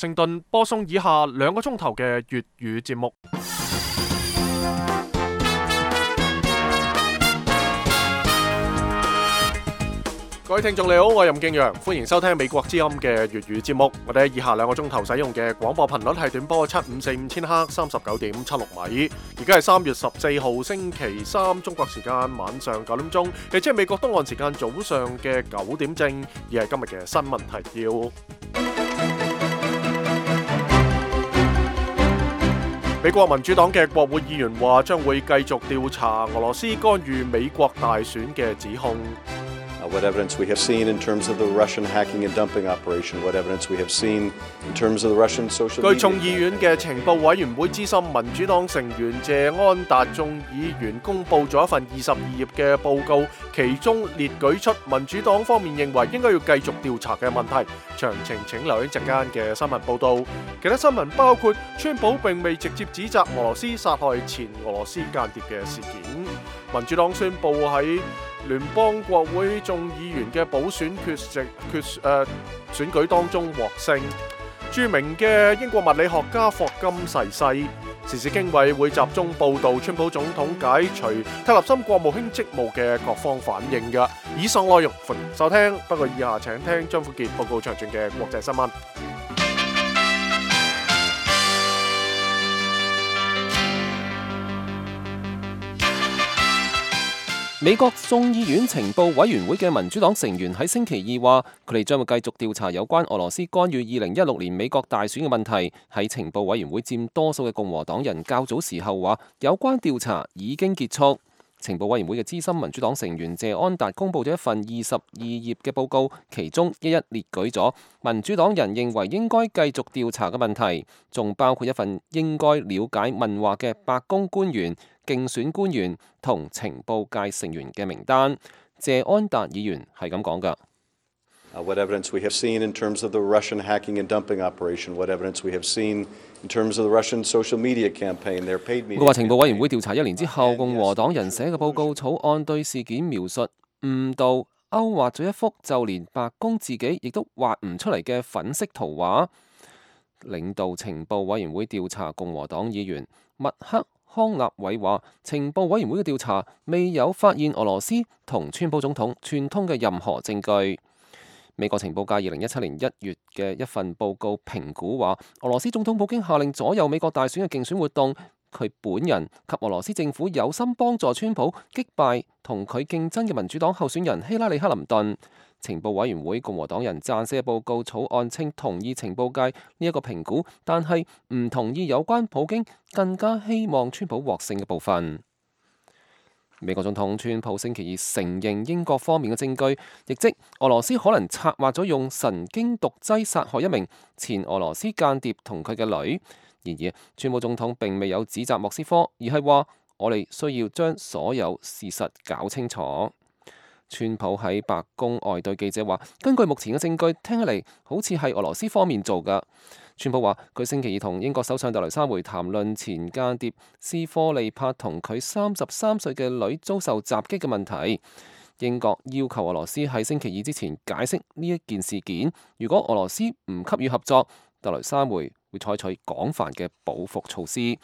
盛頓播送以下2個鐘頭嘅粵語節目。各位聽眾你好，我係任敬陽，歡迎收聽美國之音嘅粵語節目。我哋喺以下2個鐘頭使用嘅廣播頻率係短波7545千赫39.76米。而家係3月14號星期三，中國時間晚上9點鐘，亦即係美國東岸時間早上嘅9點正。而係今日嘅新聞提要。美國民主黨嘅國會議員話將會繼續調查俄羅斯干預美國大選嘅指控。What evidence we have seen in terms of the Russian hacking and dumping operation? What evidence we have seen in terms of the Russian social media? 據眾議院嘅情報委員會資深民主黨成員謝安達眾議員公佈咗一份22頁嘅報告，其中列舉出民主黨方面認為應該要繼續調查嘅問題。詳情請留意陣間嘅新聞報導。其他新聞包括川普並未直接指責俄羅斯殺害前俄羅斯間諜嘅事件。民主黨宣布喺聯邦國會眾議員嘅補選選舉當中獲勝。著名嘅英國物理學家霍金逝世。時事經緯會集中報導川普總統解除特立森國務卿職務嘅各方反應嘅。以上內容歡迎收聽，不過以下請聽張富傑報告詳盡嘅國際新聞。美國眾議院情報委員會嘅民主黨成員喺星期二話，佢哋將會繼續調查有關俄羅斯干預2016年美國大選嘅問題。喺情報委員會佔多數嘅共和黨人較早時候話，有關調查已經結束。情報委員會嘅資深民主黨成員謝安達公佈咗一份22頁嘅報告，其中一列舉咗民主黨人認為應該繼續調查嘅問題，仲包括一份應該了解問話嘅白宮官員、競選官員同情報界成員嘅名單。謝安達議員係咁講㗎。What evidence we have seen in terms of the Russian hacking and dumping operation? What evidence we have seen in terms of the Russian social media campaign? Their paid media. 佢話情報委員會調查1年之後，共和黨人寫嘅報告草案對事件描述誤導，勾畫咗一幅就連白宮自己亦都畫唔出嚟嘅粉色圖畫。領導情報委員會調查共和黨議員麥克康納偉話，情報委員會嘅調查未有發現俄羅斯同川普總統串通嘅任何證據。美國情報界2017年1月嘅一份報告評估話，俄羅斯總統普京下令左右美國大選嘅競選活動，佢本人及俄羅斯政府有心幫助川普擊敗同佢競爭嘅民主黨候選人希拉里克林頓。情報委員會共和黨人撰寫嘅報告草案稱同意情報界呢一個評估，但係唔同意有關普京更加希望川普獲勝嘅部分。美國總統川普星期二承認英國方面嘅證據，亦即俄羅斯可能策劃咗用神經毒劑殺害一名前俄羅斯間諜同佢嘅女。然而，川普總統並未有指責莫斯科，而係話我哋需要將所有事實搞清楚。川普喺白宮外對記者話，根據目前嘅證據，聽起嚟好似係俄羅斯方面做㗎。川普話佢星期二同英國首相特雷莎梅談論前間諜斯科利帕同佢33歲嘅女遭受襲擊嘅問題。英國要求俄羅斯喺星期二之前解釋呢一件事件。如果俄羅斯唔給予合作，特雷莎梅會採取廣泛嘅報復措施。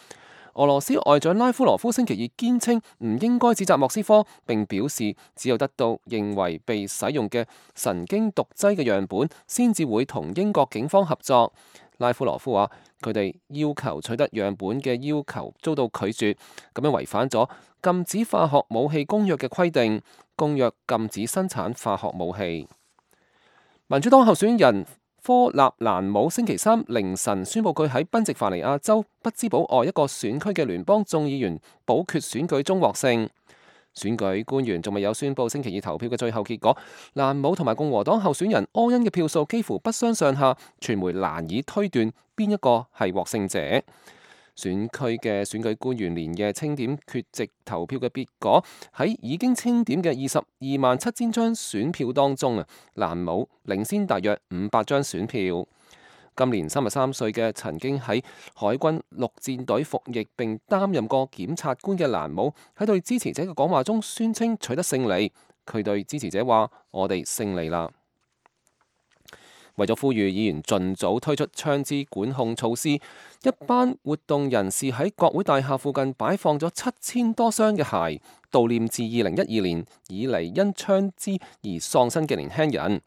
俄羅斯外長拉夫羅夫星期二堅稱唔應該指責莫斯科，並表示只有得到認為被使用嘅神經毒劑嘅樣本，先至會同英國警方合作。拉夫羅夫話：佢哋要求取得樣本嘅要求遭到拒絕，咁樣違反咗禁止化學武器公約嘅規定。公約禁止生產化學武器。民主黨候選人科納蘭姆星期三凌晨宣布佢喺賓夕法尼亞州匹茲堡外一個選區嘅聯邦眾議員補缺選舉中獲勝。選舉官員仲未有宣布星期二投票嘅最後結果。蘭姆同埋共和黨候選人柯恩嘅票數幾乎不相上下，傳媒難以推斷邊一個係獲勝者。選區嘅選舉官員連夜清點缺席投票嘅結果，喺已經清點嘅227000張選票當中蘭姆領先大約500張選票。今年33歲嘅曾經喺海軍陸戰隊服役並擔任過檢察官嘅蘭姆喺對支持者嘅講話中宣稱取得勝利。佢對支持者話：我哋勝利啦！為咗呼籲議員盡早推出槍支管控措施，一班活動人士喺國會大廈附近擺放咗7000多雙嘅鞋，悼念自2012年以嚟因槍支而喪生嘅年輕人。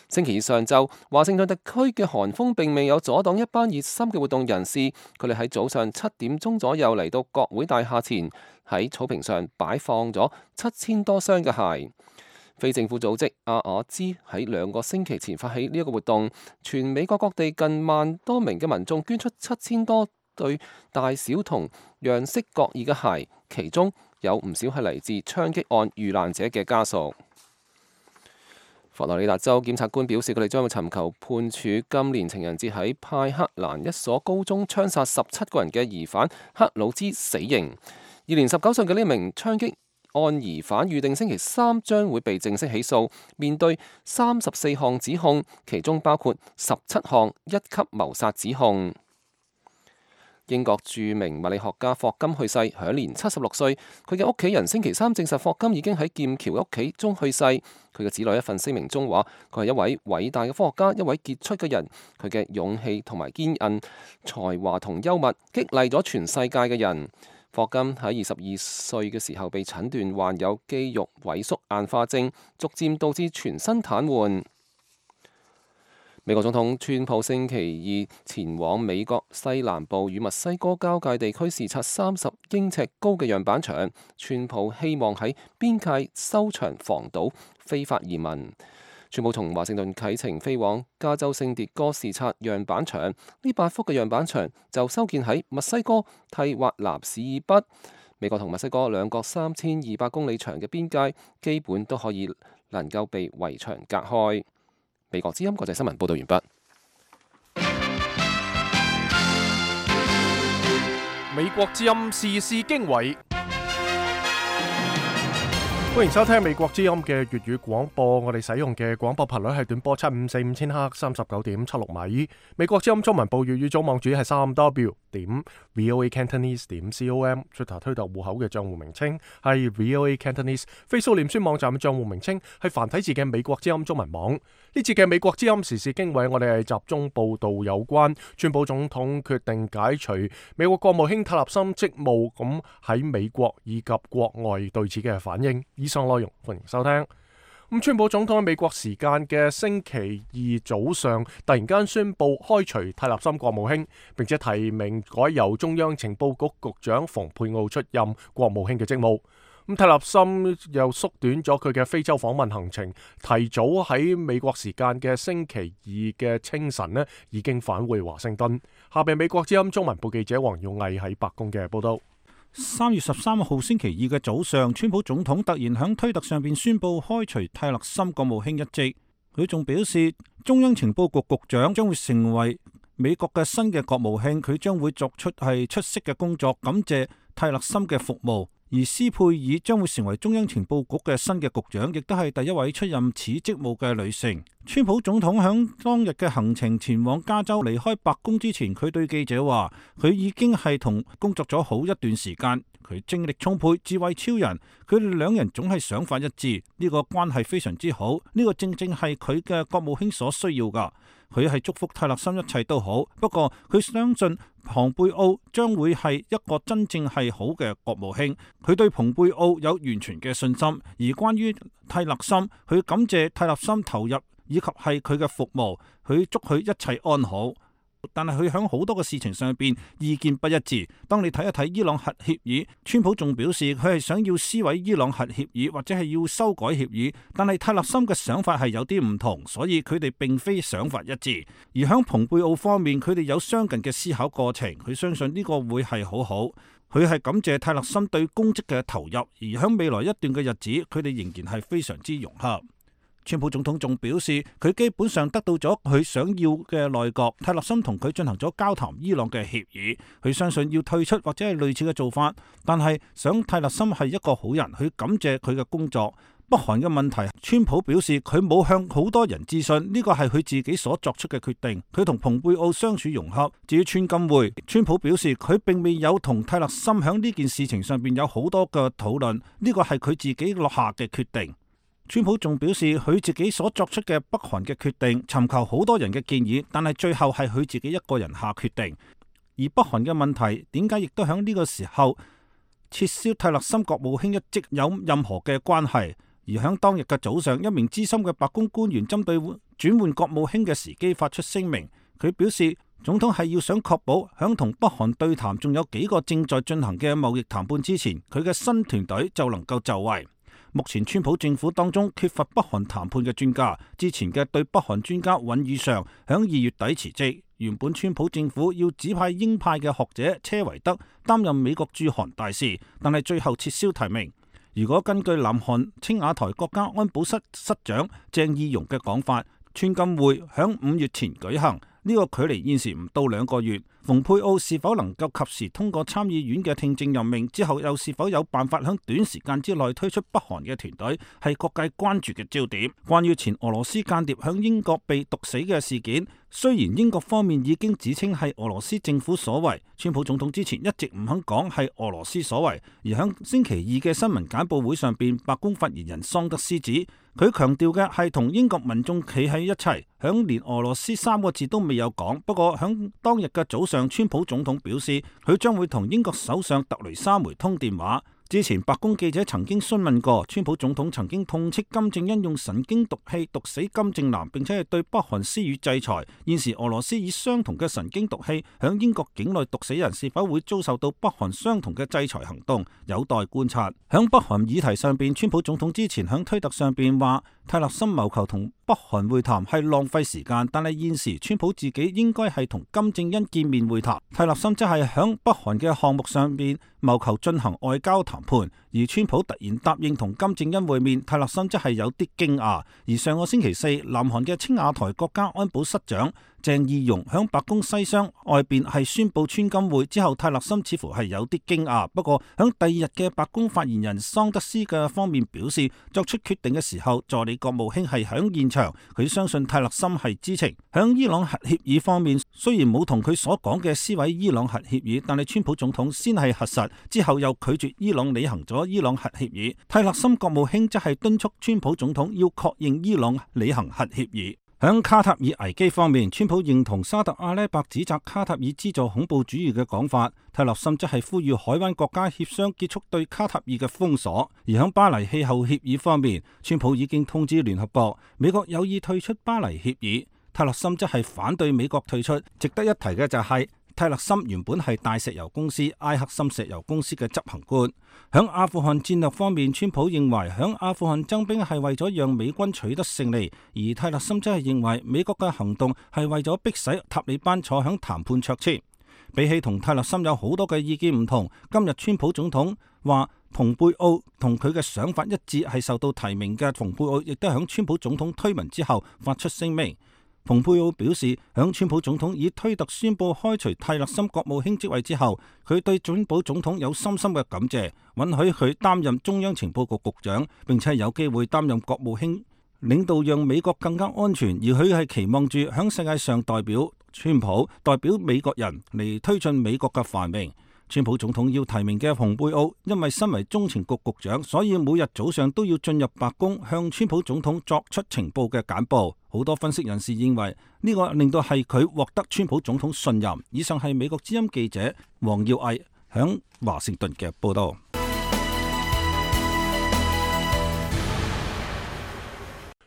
星期二上晝，華盛頓特區嘅寒風並未有阻擋一班熱心嘅活動人士，佢哋喺早上7點鐘左右嚟到國會大廈前，喺草坪上擺放咗7000多雙嘅鞋。非政府組織阿瓦茲喺2個星期前發起呢一個活動，全美國各地近1萬多名嘅民眾捐出7000多對大小同樣式各異嘅鞋，其中有唔少係嚟自槍擊案遇難者嘅家屬。佛羅里達州檢察官表示，佢哋將會尋求判處今年情人節喺派克蘭一所高中槍殺17個人嘅疑犯克魯茲死刑。現年19歲嘅呢名槍擊案疑犯預定星期3將會被正式起訴，面對34項指控，其中包括17項1級謀殺指控。英國著名物理學家霍金去世，享年76歲。佢嘅屋企人星期3證實霍金已經喺劍橋屋企中去世。佢嘅子女一份聲明中話：佢係一位偉大嘅科學家，一位傑出嘅人。佢嘅勇氣同埋堅韌、才華同幽默激勵咗全世界嘅人。霍金喺22歲嘅時候被診斷患有肌肉萎縮硬化症，逐漸導致全身癱瘓。美國總統川普星期二前往美國西南部與墨西哥交界地區視察30英尺高嘅樣板牆。川普希望喺邊界修牆防堵非法移民。川普從華盛頓啟程飛往加州聖迭戈視察樣板牆。呢8幅嘅樣板牆就修建喺墨西哥蒂華納市以北。美國同墨西哥兩國3200公里長嘅邊界基本都可以能夠被圍牆隔開。美國之音國際新聞報道完畢。美國之音時事經緯，歡迎收聽美國之音嘅粵語廣播。我哋使用嘅廣播頻率係短波754千赫39.76米。美國之音中文部粵語組網址係3w.voacantonese.com。Twitter 推特戶口嘅賬戶名稱係 VOA Cantonese。Facebook 臉書網站嘅賬戶名稱係繁體字嘅美國之音中文網。呢節嘅美國之音時事經緯，我哋係集中報道有關川普總統決定解除美國國務卿泰勒森職務，咁喺美國以及國外對此嘅反應。以上內容歡迎收聽。川普總統喺美國時間嘅星期二早上突然間宣布開除泰勒森國務卿，並且提名改由中央情報局局長蓬佩奧出任國務卿嘅職務。泰勒森又縮短咗佢嘅非洲訪問行程，提早喺美國時間嘅星期二嘅清晨已經返回華盛頓。下邊美國之音中文部記者黃耀毅喺白宮嘅報道。3月13號星期二嘅早上，川普總統突然喺推特上邊宣布開除泰勒森國務卿一職。佢仲表示，中央情報局局長將會成為美國嘅新嘅國務卿，佢將會作出出色嘅工作，感謝泰勒森嘅服務。而斯佩爾將會成為中央情報局嘅新嘅局長，亦都係第一位出任此職務嘅女性。川普總統響當日嘅行程前往加州，離開白宮之前，佢對記者話：佢已經係同工作咗好一段時間，佢精力充沛，智慧超人，佢哋兩人總係想法一致，呢個關係非常之好，呢個正正係佢嘅國務卿所需要噶。佢係祝福泰勒森一切都好，不過佢相信蓬佩奧將會係一個真正係好嘅國務卿。佢對蓬佩奧有完全嘅信心。而關於泰勒森，佢感謝泰勒森投入以及係佢嘅服務，佢祝佢一切安好。但係佢喺好多嘅事情上邊意見不一致。當你睇一睇伊朗核協議，川普仲表示佢係想要撕毀伊朗核協議，或者係要修改協議。但係泰勒森嘅想法係有啲唔同，所以佢哋並非想法一致。而喺蓬佩奧方面，佢哋有相近嘅思考過程。佢相信呢個會係好好。佢係感謝泰勒森對公職嘅投入，而喺未來一段嘅日子，佢哋仍然係非常之融洽。川普總統仲表示，佢基本上得到咗佢想要嘅內閣。泰勒森同佢進行咗交談伊朗嘅協議，佢相信要退出或者係類似嘅做法，但係想泰勒森係一個好人，佢感謝佢嘅工作。北韓嘅問題，川普表示佢冇向好多人諮詢，呢個係佢自己所作出嘅決定。佢同蓬佩奧相處融洽。至於川金會，川普表示佢並未有同泰勒森響呢件事情上邊有好多嘅討論，呢個係佢自己落下嘅決定。川普仲表示，佢自己所作出嘅北韓嘅決定，尋求好多人嘅建議，但係最後係佢自己一個人下決定。而北韓嘅問題點解亦都喺呢個時候撤銷泰勒森國務卿一職有任何嘅關係？而喺當日嘅早上，一名資深嘅白宮官員針對轉換國務卿嘅時機發出聲明，佢表示總統係要想確保響同北韓對談仲有幾個正在進行嘅貿易談判之前，佢嘅新團隊就能夠就位。目前川普政府當中缺乏北韓談判嘅專家，之前嘅對北韓專家尹宇尚響2月底辭職，原本川普政府要指派鷹派嘅學者車維德擔任美國駐韓大使，但係最後撤銷提名。如果根據南韓青瓦台國家安保室室長鄭義溶嘅講法，川金會響5月前舉行，呢個距離現時唔到2個月。蓬佩奧是否能夠及時通過參議院嘅聽證任命之後，又是否有辦法喺短時間之內推出北韓嘅團隊，係各界關注嘅焦點。關於前俄羅斯間諜響英國被毒死嘅事件，雖然英國方面已經指稱係俄羅斯政府所為，川普總統之前一直唔肯講係俄羅斯所為。而喺星期二嘅新聞簡報會上邊，白宮發言人桑德斯指，佢強調嘅係同英國民眾企喺一齊，響連俄羅斯3個字都未有講。不過響當日嘅早上，川普總統表示佢將會同英國首相特雷莎梅通電話。之前白宮記者曾經詢問過，川普總統曾經痛斥金正恩用神經毒氣毒死金正男，並且係對北韓施予制裁。現時俄羅斯以相同嘅神經毒氣響英國境內毒死人，是否會遭受到北韓相同嘅制裁行動，有待觀察。響北韓議題上邊，川普總統之前響推特上邊話，泰勒森謀求同北韓會談係浪費時間，但係現時川普自己應該係同金正恩見面會談。泰勒森即係響北韓嘅項目上邊謀求進行外交談判，而川普突然答應同金正恩會面，泰勒森即係有啲驚訝。而上個星期四，南韓嘅青瓦台國家安保室長鄭義溶響白宮西廂外邊係宣布川金會之後，泰勒森似乎係有啲驚訝。不過響第2日嘅白宮發言人桑德斯嘅方面表示，作出決定嘅時候，助理國務卿係響現場，佢相信泰勒森係知情。響伊朗核協議方面，雖然冇同佢所講嘅撕毀伊朗核協議，但係川普總統先係核實，之後又拒絕伊朗履行咗伊朗核協議。泰勒森國務卿則係敦促川普總統要確認伊朗履行核協議。響卡塔爾危機方面，川普認同沙特阿拉伯指責卡塔爾資助恐怖主義嘅講法，泰勒森則係呼籲海灣國家協商結束對卡塔爾嘅封鎖。而響巴黎氣候協議方面，川普已經通知聯合國，美國有意退出巴黎協議，泰勒森則係反對美國退出。值得一提嘅就係，泰勒森原本係大石油公司埃克森石油公司嘅執行官。響阿富汗戰略方面，川普認為響阿富汗增兵係為咗讓美軍取得勝利，而泰勒森則係認為美國嘅行動係為咗迫使塔利班坐響談判桌前。比起同泰勒森有好多嘅意見唔同，今日川普總統話蓬佩奧同佢嘅想法一致，係受到提名嘅蓬佩奧亦都響川普總統推文之後發出聲明。蓬佩奧表示，響川普總統以推特宣布開除泰勒森國務卿職位之後，佢對川普總統有深深嘅感謝，允許佢擔任中央情報局局長，並且有機會擔任國務卿，領導讓美國更加安全。而佢係期望住響世界上代表川普、代表美國人嚟推進美國嘅繁榮。川普總統要提名嘅蓬佩奧，因為身為中情局局長，所以每日早上都要進入白宮向川普總統作出情報嘅簡報。好多分析人士認為呢個令到係佢獲得川普總統信任。以上係美國之音記者黃耀毅響華盛頓嘅報道。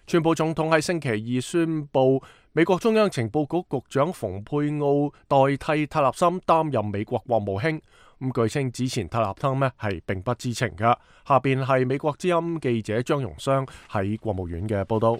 川普總統喺星期二宣布，美國中央情報局局長蓬佩奧代替泰勒森擔任美國國務卿。據稱之前泰勒森係並不知情㗎。下邊係美國之音記者張榮湘喺國務院嘅報道。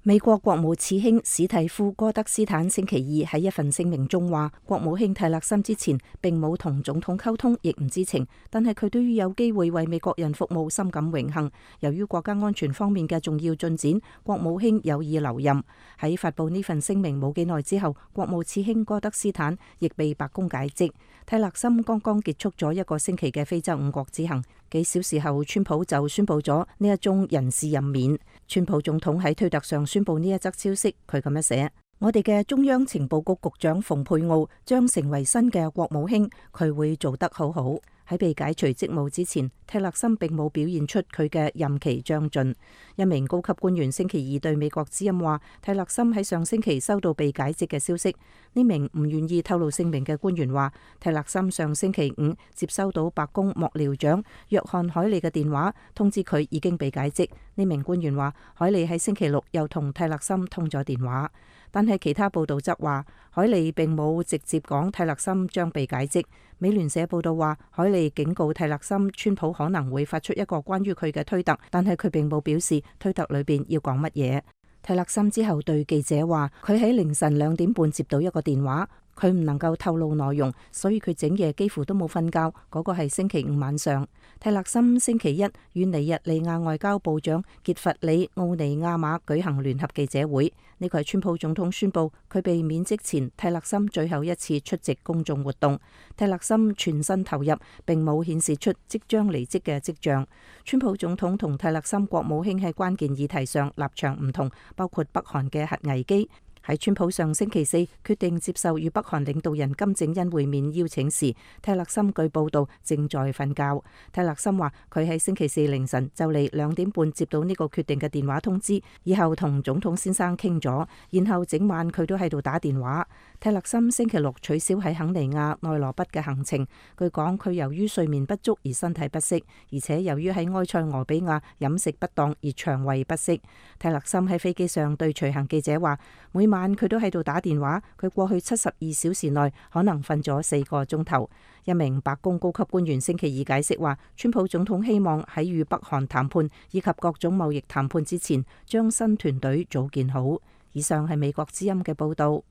美國國務次卿史蒂夫·戈德斯坦星期二喺一份聲明中話，國務卿泰勒森之前並冇同總統溝通，亦唔知情，但係佢對於有機會為美國人服務深感榮幸。由於國家安全方面嘅重要進展，國務卿有意留任。喺發佈呢份聲明冇幾耐之後，國務次卿戈德斯坦亦被白宮解職。泰勒森剛剛結束咗1個星期嘅非洲5國之行，幾小時後，川普就宣布咗呢一宗人事任免。川普總統喺推特上宣布呢一則消息，佢咁樣寫：我哋嘅中央情報局局長蓬佩奧將成為新嘅國務卿，佢會做得好好。喺被解除職務之前，蒂勒森並冇表現出佢嘅任期將盡。一名高級官員星期二對美國之音話，蒂勒森喺上星期收到被解職嘅消息。呢名唔願意透露姓名嘅官員話，蒂勒森上星期五接收到白宮幕僚長約翰海利嘅電話，通知佢已經被解職。呢名官員話，海利喺星期六又同蒂勒森通咗電話，但係其他報道則話，海利並冇直接講蒂勒森將被解職。美聯社報道話，海利警告蒂勒森，川普可能會發出一個關於佢嘅推特，但係佢並冇表示推特裏邊要講乜嘢。蒂勒森之後對記者話，佢喺凌晨2點半接到一個電話，佢唔能夠透露內容，所以佢整夜幾乎都冇瞓覺。嗰個係星期五晚上。蒂勒森星期一與尼日利亞外交部長傑弗里奧尼亞馬舉行聯合記者會，呢個係川普總統宣布佢被免職前蒂勒森最後一次出席公眾活動。蒂勒森全身投入，並冇顯示出即將離職嘅跡象。川普總統同蒂勒森國務卿喺關鍵議題上立場唔同，包括北韓嘅核危機。喺川普上星期四決定接受與北韓領導人金正恩會面邀請時，蒂勒森據報道正在瞓覺。蒂勒森話佢喺星期四凌晨就嚟2點半接到呢個決定嘅電話通知，以後同總統先生傾咗，然後整晚佢都喺度打電話。蒂勒森星期六取消喺肯尼亞內羅畢嘅行程，據講佢由於睡眠不足而身體不適，而且由於喺埃塞俄比亞飲食不當而腸胃不適。蒂勒森喺飛機上對隨行記者話，每晚佢都喺度打電話，佢過去72小時內可能瞓咗4個鐘頭。一名白宮高級官員星期二解釋話，川普總統希望喺與北韓談判以及各種貿易談判之前，將新團隊組建好。以上係美國之音嘅報道。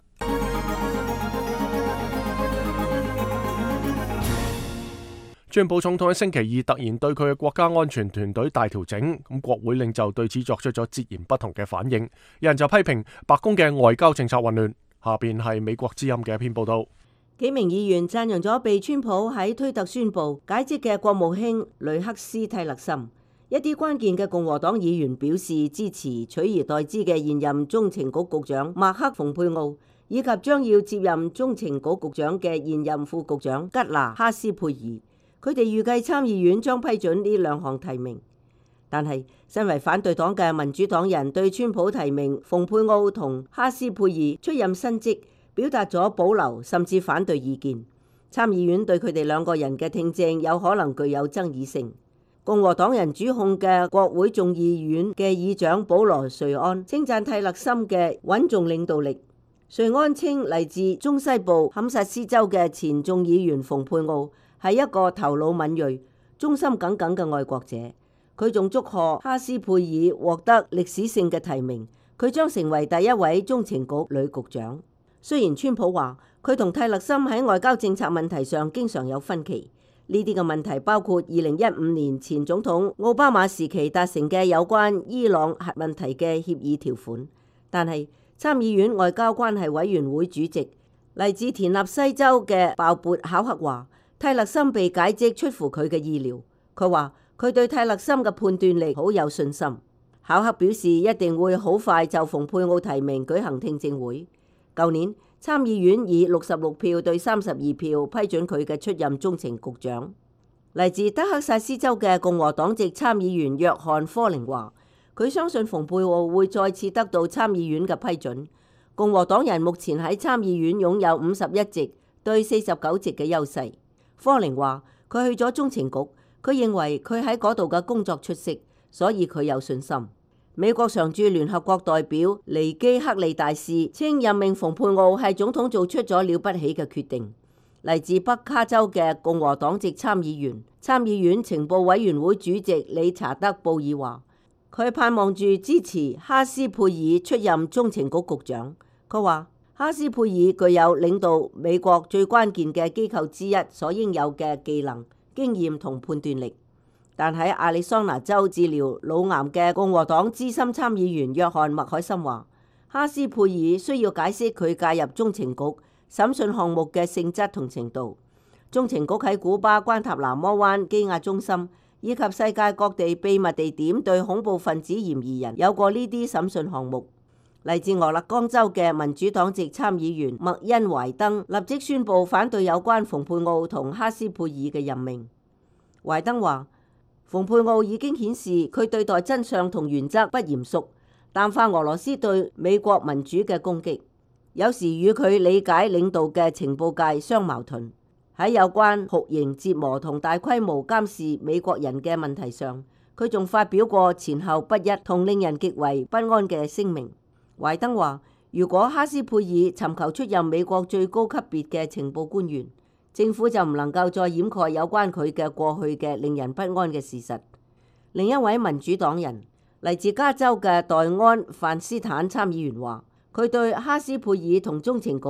川普總統喺星期二突然對佢嘅國家安全團隊大調整，咁國會領袖對此作出咗截然不同嘅反應。有人就批評白宮嘅外交政策混亂。下邊係美國之音嘅一篇報道。幾名議員讚揚咗被川普喺推特宣布解職嘅國務卿雷克斯蒂勒森。一啲關鍵嘅共和黨議員表示支持取而代之嘅現任中情局局長麥克蓬佩奧，以及將要接任中情局局長嘅現任副局長吉拿哈斯佩爾。佢哋預計參議院將批准呢2項提名，但係身為反對黨嘅民主黨人對川普提名蓬佩奧同哈斯佩爾出任新職表達咗保留甚至反對意見。參議院對佢哋2個人嘅聽證有可能具有爭議性。共和黨人主控嘅國會眾議院嘅議長保羅瑞安稱讚蒂勒森嘅穩重領導力。瑞安稱嚟自中西部堪薩斯州嘅前眾議員蓬佩奧係一個頭腦敏銳、忠心耿耿嘅愛國者。佢仲祝賀哈斯佩爾獲得歷史性嘅提名，佢將成為第一位中情局女局長。雖然川普話佢同蒂勒森喺外交政策問題上經常有分歧，呢啲嘅問題包括2015年前總統奧巴馬時期達成嘅有關伊朗核問題嘅協議條款，但係參議院外交關係委員會主席嚟自田納西州嘅鮑勃考克話，蒂勒森被解職出乎佢嘅意料。佢話佢對蒂勒森嘅判斷力好有信心。考克表示一定會好快就蓬佩奧提名舉行聽證會。舊年參議院以66票對32票批准佢嘅出任中情局長。嚟自德克薩斯州嘅共和黨籍參議員約翰科寧話，佢相信蓬佩奧會再次得到參議院嘅批准。共和黨人目前喺參議院擁有51席對49席嘅優勢。科寧話佢去咗中情局，佢認為佢喺嗰度嘅工作出色，所以佢有信心。美國常駐聯合國代表尼基克利大使稱任命蓬佩奧係總統做出咗了不起嘅決定。嚟自北卡州嘅共和黨籍參議員、參議院情報委員會主席理查德布爾話，佢盼望住支持哈斯佩爾出任中情局局長。佢話哈斯佩爾具有領導美國最關鍵嘅機構之一所應有嘅技能、經驗同判斷力。但喺亞利桑那州治療腦癌嘅共和黨資深參議員約翰麥凱森話，哈斯佩爾需要解釋佢介入中情局審訊項目嘅性質同程度。中情局喺古巴關塔那摩灣羈押中心以及世界各地秘密地點對恐怖分子嫌疑人有過呢啲審訊項目。嚟自俄勒岡州嘅民主黨籍參議員麥恩懷登立即宣布反對有關蓬佩奧同哈斯佩爾嘅任命。懷登話，蓬佩奧已經顯示佢對待真相同原則不嚴肅，淡化俄羅斯對美國民主嘅攻擊，有時與佢理解領導嘅情報界相矛盾。喺有關酷刑折磨同大規模監視美國人嘅問題上，佢仲發表過前後不一同令人極為不安嘅聲明。懷登話，如果哈斯佩爾尋求出任美國最高級別嘅情報官員，政府就唔能夠再掩蓋有關佢嘅過去嘅令人不安嘅事實。另一位民主黨人嚟自加州嘅代安范斯坦參議員話，佢對哈斯佩爾同中情局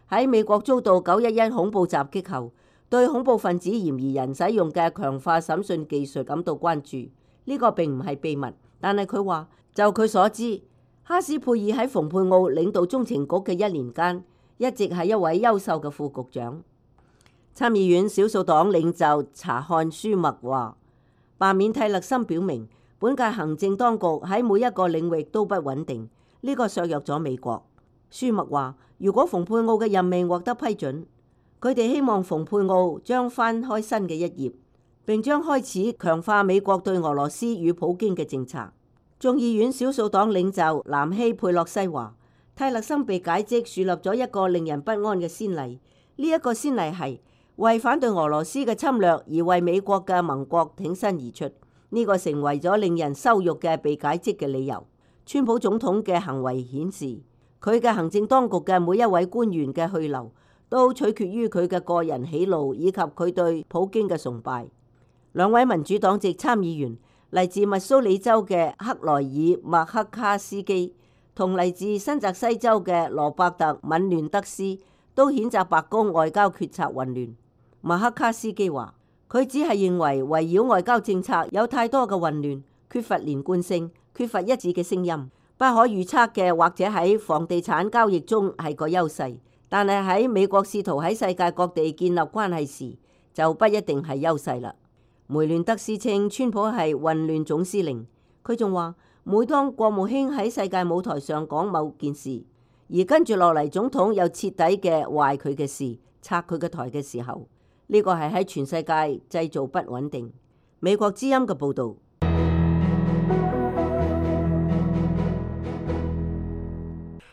喺美國遭到911恐怖襲擊後，對恐怖分子嫌疑人使用嘅強化審訊技術感到關注。呢個並唔係秘密，但係佢話，就佢所知，哈斯佩爾喺蓬佩奧領導中情局嘅1年間，一直係一位優秀嘅副局長。參議院少數黨領袖查漢舒默話，罷免蒂勒森表明本屆行政當局喺每一個領域都不穩定，呢個削弱咗美國。舒默話，如果蓬佩奧嘅任命獲得批准，佢哋希望蓬佩奧將翻開新嘅一頁，並將開始強化美國對俄羅斯與普京嘅政策。眾議院少數黨領袖南希佩洛西話，蒂勒森被解職樹立咗一個令人不安嘅先例，呢一個先例係為反對俄羅斯嘅侵略而為美國嘅盟國挺身而出，呢個成為咗令人羞辱嘅被解職嘅理由。川普總統嘅行為顯示，佢嘅行政當局嘅每一位官員嘅去留都取決於佢嘅個人喜怒以及佢對普京嘅崇拜。兩位民主黨籍參議員嚟自密蘇里州嘅克萊爾麥克卡斯基同嚟自新澤西州嘅羅伯特敏亂德斯都譴責白宮外交決策混亂。麥克卡斯基話，佢只係認為圍繞外交政策有太多嘅混亂，缺乏連貫性，缺乏一致嘅聲音，不可預測嘅或者喺房地產交易中係個優勢，但係喺美國試圖喺世界各地建立關係時就不一定係優勢啦。梅亂德斯稱川普係混亂總司令，佢仲話，每當國務卿喺世界舞台上講某件事，而跟住落嚟總統又徹底嘅壞佢嘅事，拆佢嘅台嘅時候，呢個係喺全世界製造不穩定。美國之音嘅報導。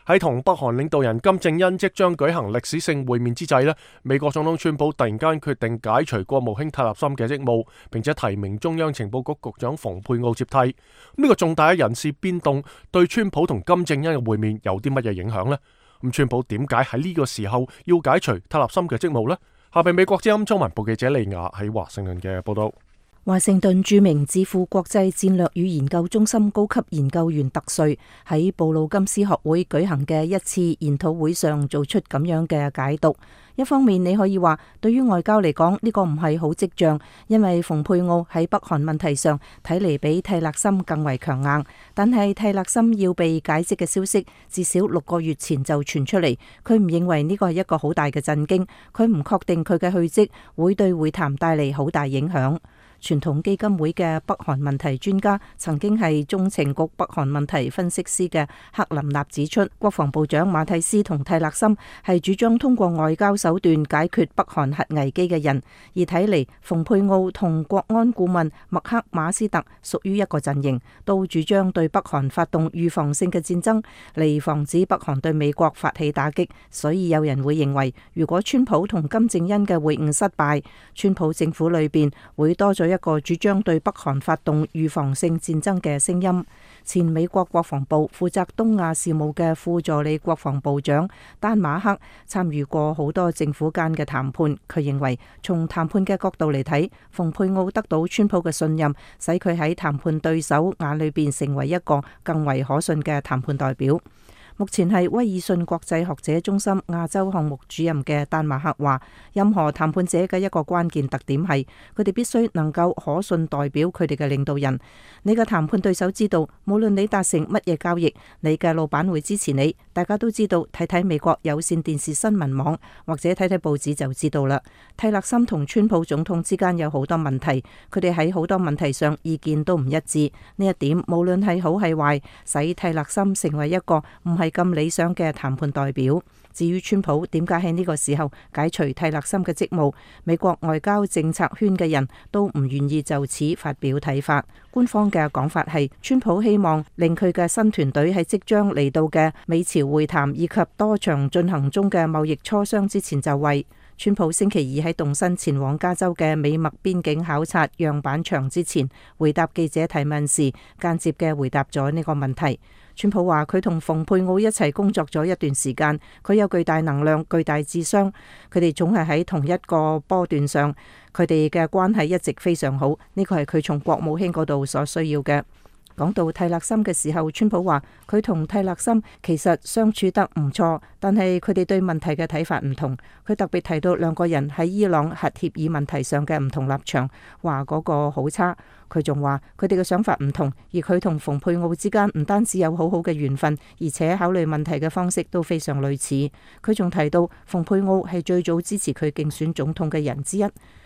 喺同北韓領導人金正恩即將舉行歷史性會面之際呢，美國總統川普突然間決定解除國務卿泰勒森嘅職務，並且提名中央情報局局長蓬佩奧接替。呢個重大嘅人事變動對川普同金正恩嘅會面有啲乜嘢影響呢？咁川普點解喺呢個時候要解除泰勒森嘅職務呢？下邊美國之音中文部記者利亞喺華盛頓嘅報道。華盛頓著名智庫國際戰略與研究中心高級研究員特瑞喺布魯金斯學會舉行嘅一次研討會上做出咁樣嘅解讀。一方面你可以話，對於外交嚟講呢個唔係好跡象，因為蓬佩奧喺北韓問題上睇嚟比蒂勒森更為強硬。但係蒂勒森要被解職嘅消息至少6個月前就傳出嚟，佢唔認為呢個係一個好大嘅震驚，佢唔確定佢嘅去職會對會談帶嚟好大影響。傳統基金會嘅北韓問題專家，曾經係中情局北韓問題分析師嘅克林納指出，國防部長馬蒂斯同蒂勒森係主張通過外交手段解決北韓核危機嘅人，而睇嚟蓬佩奧同國安顧問麥克馬斯特屬於一個陣營，都主張對北韓發動預防性嘅戰爭，嚟防止北韓對美國發起打擊。所以有人會認為，如果川普同金正恩嘅會晤失敗，川普政府裏邊會多咗一個主張對北韓發動預防性戰爭嘅聲音。前美國國防部負責東亞事務嘅副助理國防部長丹馬克參與過好多政府間嘅談判，佢認為從談判嘅角度嚟睇，蓬佩奧得到川普嘅信任，使佢喺談判對手眼裏邊成為一個更為可信嘅談判代表。目前係威爾遜國際學者中心亞洲項目主任嘅丹馬克話，任何談判者嘅一個關鍵特點係佢哋必須能夠可信代表佢哋嘅領導人。你嘅談判對手知道，無論你達成乜嘢交易，你嘅老闆會支持你。大家都知道，睇睇美國有線電視新聞網或者睇睇報紙就知道啦。蒂勒森同川普總統之間有好多問題，佢哋喺好多問題上意見都唔一致。呢一點無論係好係壞，使蒂勒森成為一個唔係咁理想嘅談判代表。至於川普點解喺呢個時候解除泰勒森嘅職務，美國外交政策圈嘅人都唔願意就此發表睇法。官方嘅講法係，川普希望令佢嘅新團隊喺即將嚟到嘅美朝會談以及多場進行中嘅貿易磋商之前就位。川普星期二喺動身前往加州嘅美墨邊境考察樣板場之前，回答記者提問時，間接嘅回答咗呢個問題。川普話佢同蓬佩奧一齊工作咗一段時間，佢有巨大能量、巨大智商，佢哋總係喺同一個波段上，佢哋嘅關係一直非常好，呢個係佢從國務卿嗰度所需要嘅。講到泰勒森嘅時候，川普話佢同泰勒森其實相處得唔錯，但係佢哋對問題嘅睇法唔同。佢特別提到兩個人喺伊朗核協議問題上嘅唔同立場，話嗰個好差。佢仲話佢哋嘅想法唔同，而佢同蓬佩奧之間唔單止有好好嘅緣分，而且考慮問題嘅方式都非常類似。佢仲提到蓬佩奧係最早支持佢競選總統嘅人之一。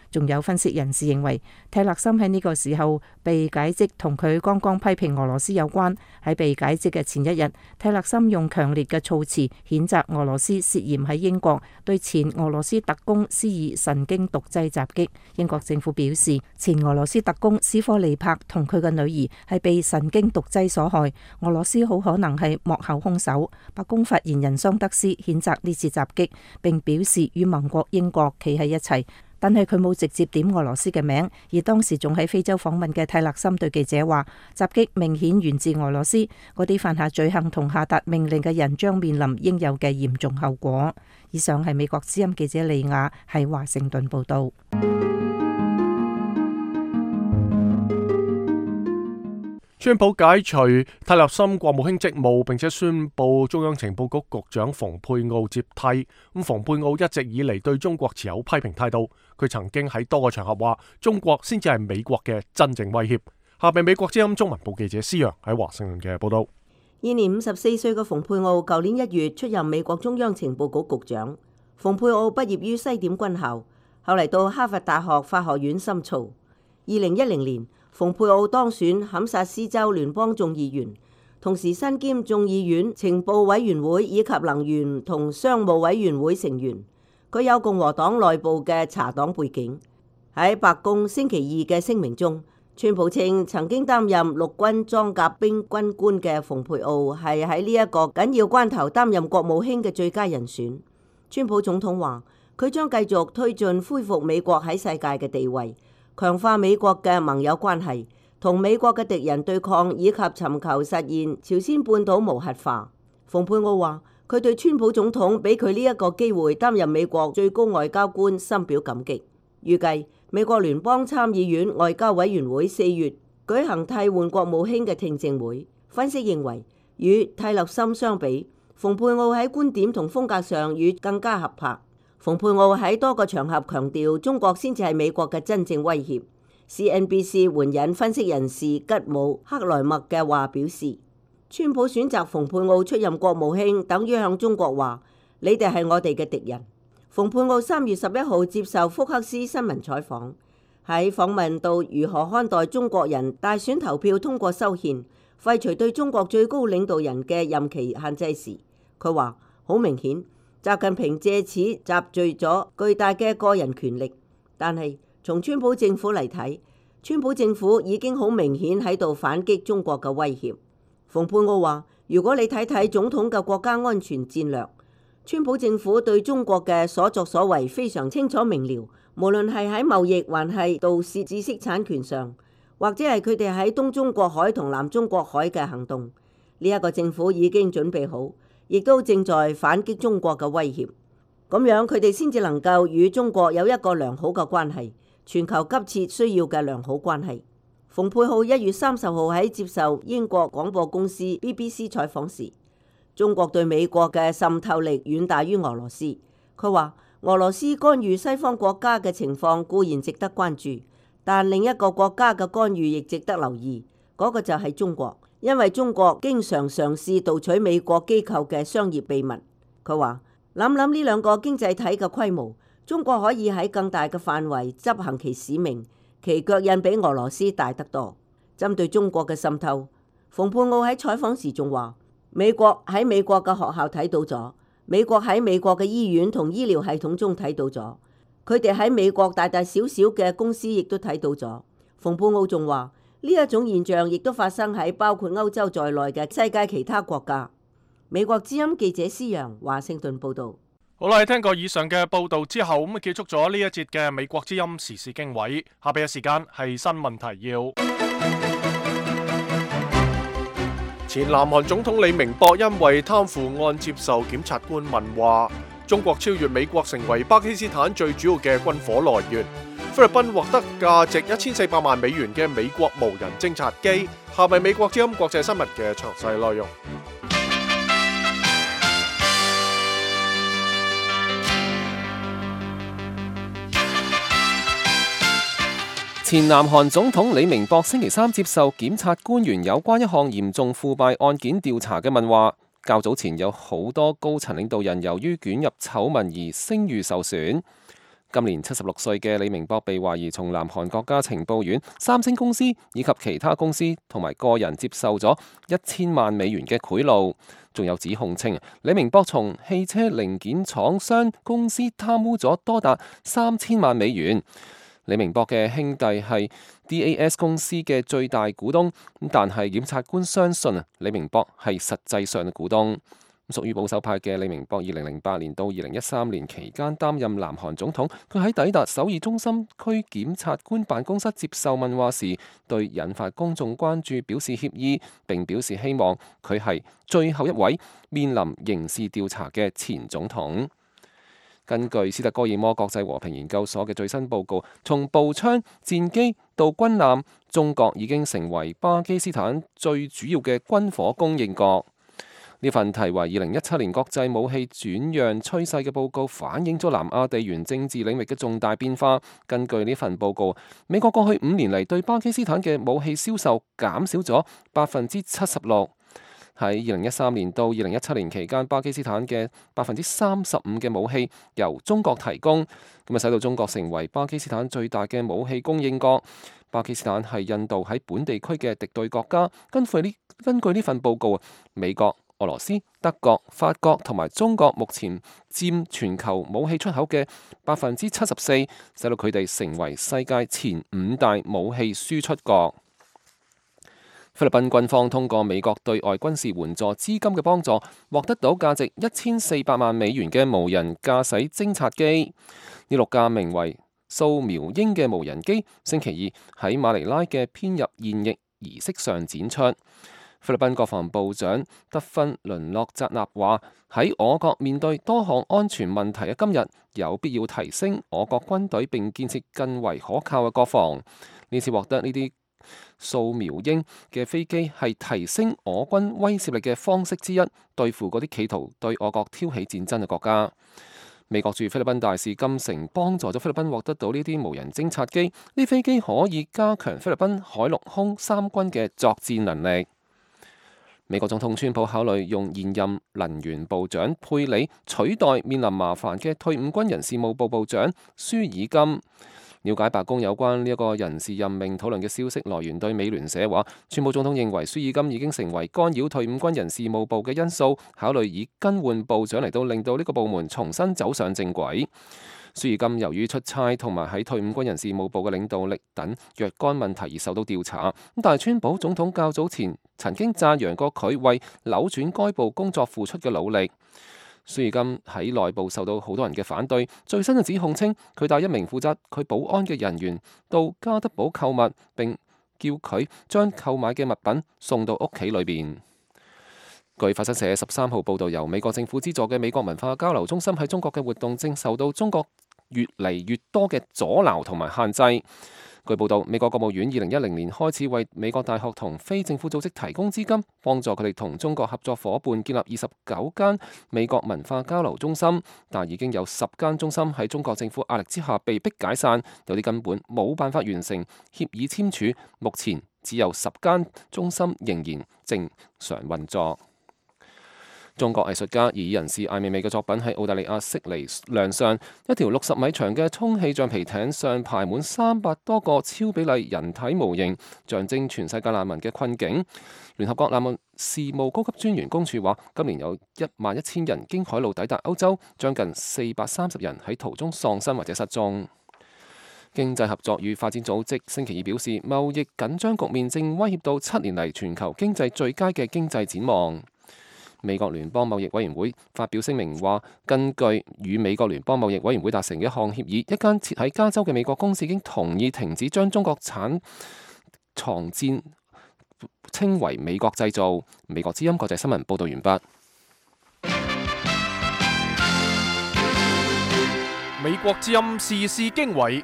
仲有分析人士認為，泰勒森喺呢個時候被解職同佢剛剛批評俄羅斯有關。喺被解職嘅前一日，泰勒森用強烈嘅措辭譴責俄羅斯涉嫌喺英國對前俄羅斯特工施以神經毒劑襲擊。英國政府表示，前俄羅斯特工斯科利帕同佢嘅女兒係被神經毒劑所害，俄羅斯好可能係幕後兇手。白宮發言人桑德斯譴責呢次襲擊，並表示與盟國英國企喺一齊。但係佢冇直接點俄羅斯嘅名，而當時仲喺非洲訪問嘅泰勒森對記者話：襲擊明顯源自俄羅斯，嗰啲犯下罪行同下達命令嘅人將面臨應有嘅嚴重後果。以上係美國之音記者利亞喺華盛頓報道。川普解除泰勒森國務卿職務，並且宣布中央情報局局長蓬佩奧接替。咁蓬佩奧一直以嚟對中國持有批評態度，佢曾經喺多個場合話中國先至係美國嘅真正威脅。下邊美國之音中文部記者施陽喺華盛頓嘅報道。現年54歲嘅蓬佩奧，舊年1月出任美國中央情報局局長。蓬佩奧畢業於西點軍校，後嚟到哈佛大學法學院深造。2010年，蓬佩奧當選堪薩斯州聯邦眾議員，同時身兼眾議院情報委員會以及能源同商務委員會成員。佢有共和黨內部嘅茶黨背景。喺白宮星期二嘅聲明中，川普稱曾經擔任陸軍裝甲兵軍官嘅蓬佩奧係喺呢一個緊要關頭擔任國務卿嘅最佳人選。川普總統話佢將繼續推進恢復美國喺世界嘅地位，強化美國嘅盟友關係，同美國嘅敵人對抗，以及尋求實現朝鮮半島無核化。蓬佩奧話佢對川普總統俾佢呢一個機會擔任美國最高外交官深表感激。預計美國聯邦參議院外交委員會4月舉行替換國務卿嘅聽證會。分析認為，與泰勒森相比，蓬佩奧喺觀點同風格上與更加合拍。蓬佩奧喺多個場合強調中國先至係美國嘅真正威脅。CNBC 援引分析人士吉姆克萊默嘅話表示，川普選擇蓬佩奧出任國務卿，等於向中國話：你哋係我哋嘅敵人。蓬佩奧3月11號接受福克斯新聞採訪，喺訪問到如何看待中國人大選投票通過修憲，廢除對中國最高領導人嘅任期限制時，佢話：好明顯，習近平借此集聚咗巨大嘅個人權力，但係從川普政府嚟睇，川普政府已經好明顯喺度反擊中國嘅威脅。蓬佩奧話：如果你睇睇總統嘅國家安全戰略，川普政府對中國嘅所作所為非常清楚明了，無論係喺貿易還係盜竊知識產權上，或者係佢哋喺東中國海同南中國海嘅行動，呢一個政府已經準備好，亦都正在反擊中國嘅威脅。咁樣佢哋先至能夠與中國有一個良好嘅關係，全球急切需要嘅良好關係。蓬佩奧1月30號喺接受英國廣播公司 BBC 採訪時，中國對美國嘅滲透力遠大於俄羅斯。佢話俄羅斯干預西方國家嘅情況固然值得關注，但另一個國家嘅干預亦值得留意，嗰個就係中國，因為中國經常嘗試盜取美國機構嘅商業秘密。佢話諗諗呢兩個經濟體嘅規模，中國可以喺更大嘅範圍執行其使命，其腳印比俄羅斯大得多。針對中國嘅滲透，蓬佩奧喺採訪時仲話：美國喺美國嘅學校睇到咗，美國喺美國嘅醫院同醫療系統中睇到咗，佢哋喺美國大大小小嘅公司亦都睇到咗。馮布奧仲話，呢一種現象亦都發生喺包括歐洲在內嘅世界其他國家。美國之音記者施陽華盛頓報導。好啦，聽過以上嘅報導之後，咁結束咗呢一節嘅美國之音時事經緯。下邊嘅時間係新聞提要。前南韓總統李明博因為貪腐案接受檢察官問話。中國超越美國成為巴基斯坦最主要嘅軍火來源。菲律賓獲得價值1400萬美元嘅美國無人偵察機。下面美國之音國際新聞嘅詳細內容。前南韓總統李明博星期三接受檢察官員有關一項嚴重腐敗案件調查嘅問話。較早前有好多高層領導人由於捲入醜聞而聲譽受損。今年76歲嘅李明博被懷疑從南韓國家情報院、三星公司以及其他公司同埋個人接受咗1000萬美元嘅賄賂，仲有指控稱李明博從汽車零件廠商公司貪污咗多達3000萬美元。李明博嘅兄弟係 DAS 公司嘅最大股東，但係檢察官相信李明博係實際上嘅股東。屬於保守派嘅李明博2008年到2013年期間擔任南韓總統，佢喺抵達首爾中心區檢察官辦公室接受問話時，對引發公眾關注表示歉意，並表示希望佢係最後一位面臨刑事調查嘅前總統。根據斯德哥爾摩國際和平研究所嘅最新報告，從步槍、戰機到軍艦，中國已經成為巴基斯坦最主要嘅軍火供應國。呢份題為2017年國際武器轉讓趨勢嘅報告反映咗南亞地緣政治領域嘅重大變化。根據呢份報告，美國過去5年嚟對巴基斯坦嘅武器銷售減少咗76%。喺2013年到2017年期間，巴基斯坦嘅35%嘅武器由中國提供，咁使到中國成為巴基斯坦最大嘅武器供應國。巴基斯坦係印度喺本地區嘅敵對國家。根據呢份報告，美國、俄羅斯、德國、法國同埋中國目前佔全球武器出口嘅74%，使到佢哋成為世界前5大武器輸出國。菲律賓軍方通過美國對外軍事援助資金嘅幫助，獲得到價值1400萬美元嘅無人駕駛偵察機。呢6架名為掃描鷹嘅無人機，星期二喺馬尼拉嘅編入現役儀式上展出。菲律賓國防部長德芬倫諾扎納話：喺我國面對多項安全問題嘅今日，有必要提升我國軍隊並建設更為可靠嘅國防。呢次獲得呢啲掃描鷹嘅飛機係提升我軍威懾力嘅方式之一，對付嗰啲企圖對我國挑起戰爭嘅國家。美國駐菲律賓大使金城幫助咗菲律賓獲得到呢啲無人偵察機，呢飛機可以加強菲律賓海陸空三軍嘅作戰能力。美國總統川普考慮用現任能源部長佩里取代面臨麻煩嘅退伍軍人事務部部長舒爾金。了解白宮有關呢一個人事任命討論嘅消息來源對美聯社話，川普總統認為舒爾金已經成為干擾退伍軍人事務部嘅因素，考慮以更換部長嚟到令到呢個部門重新走上正軌。舒爾金由於出差同埋喺退伍軍人事務部嘅領導力等若干問題而受到調查，但係川普總統較早前曾經讚揚過佢為扭轉該部工作付出嘅努力。舒爾金喺內部受到好多人嘅反對，最新嘅指控稱佢帶一名負責佢保安嘅人員到加德堡購物，並叫佢將購買嘅物品送到屋企裏邊。據法新社13號報導，由美國政府資助嘅美國文化交流中心喺中國嘅活動正受到中國越嚟越多嘅阻撓同埋限制。據報道，美國國務院2010年開始為美國大學同非政府組織提供資金，幫助佢哋同中國合作夥伴建立29間美國文化交流中心，但已經有10間中心喺中國政府壓力之下被迫解散，有啲根本冇辦法完成協議簽署，目前只有10間中心仍然正常運作。中國藝術家以人士艾未未嘅作品喺澳大利亞悉尼亮相，一條60米長嘅充氣橡皮艇上排滿300多個超比例人體模型，象徵全世界難民嘅困境。聯合國難民事務高級專員公署話，今年有11000人經海路抵達歐洲，將近430人喺途中喪生或者失蹤。經濟合作與發展組織星期二表示，貿易緊張局面正威脅到7年嚟全球經濟最佳嘅經濟展望。美國聯邦貿易委員會發表聲明話，根據與美國聯邦貿易委員會達成嘅一項協議，一間設喺加州嘅美國公司已經同意停止將中國產藏戰稱為美國製造。美國之音國際新聞報導完畢。美國之音時事經緯。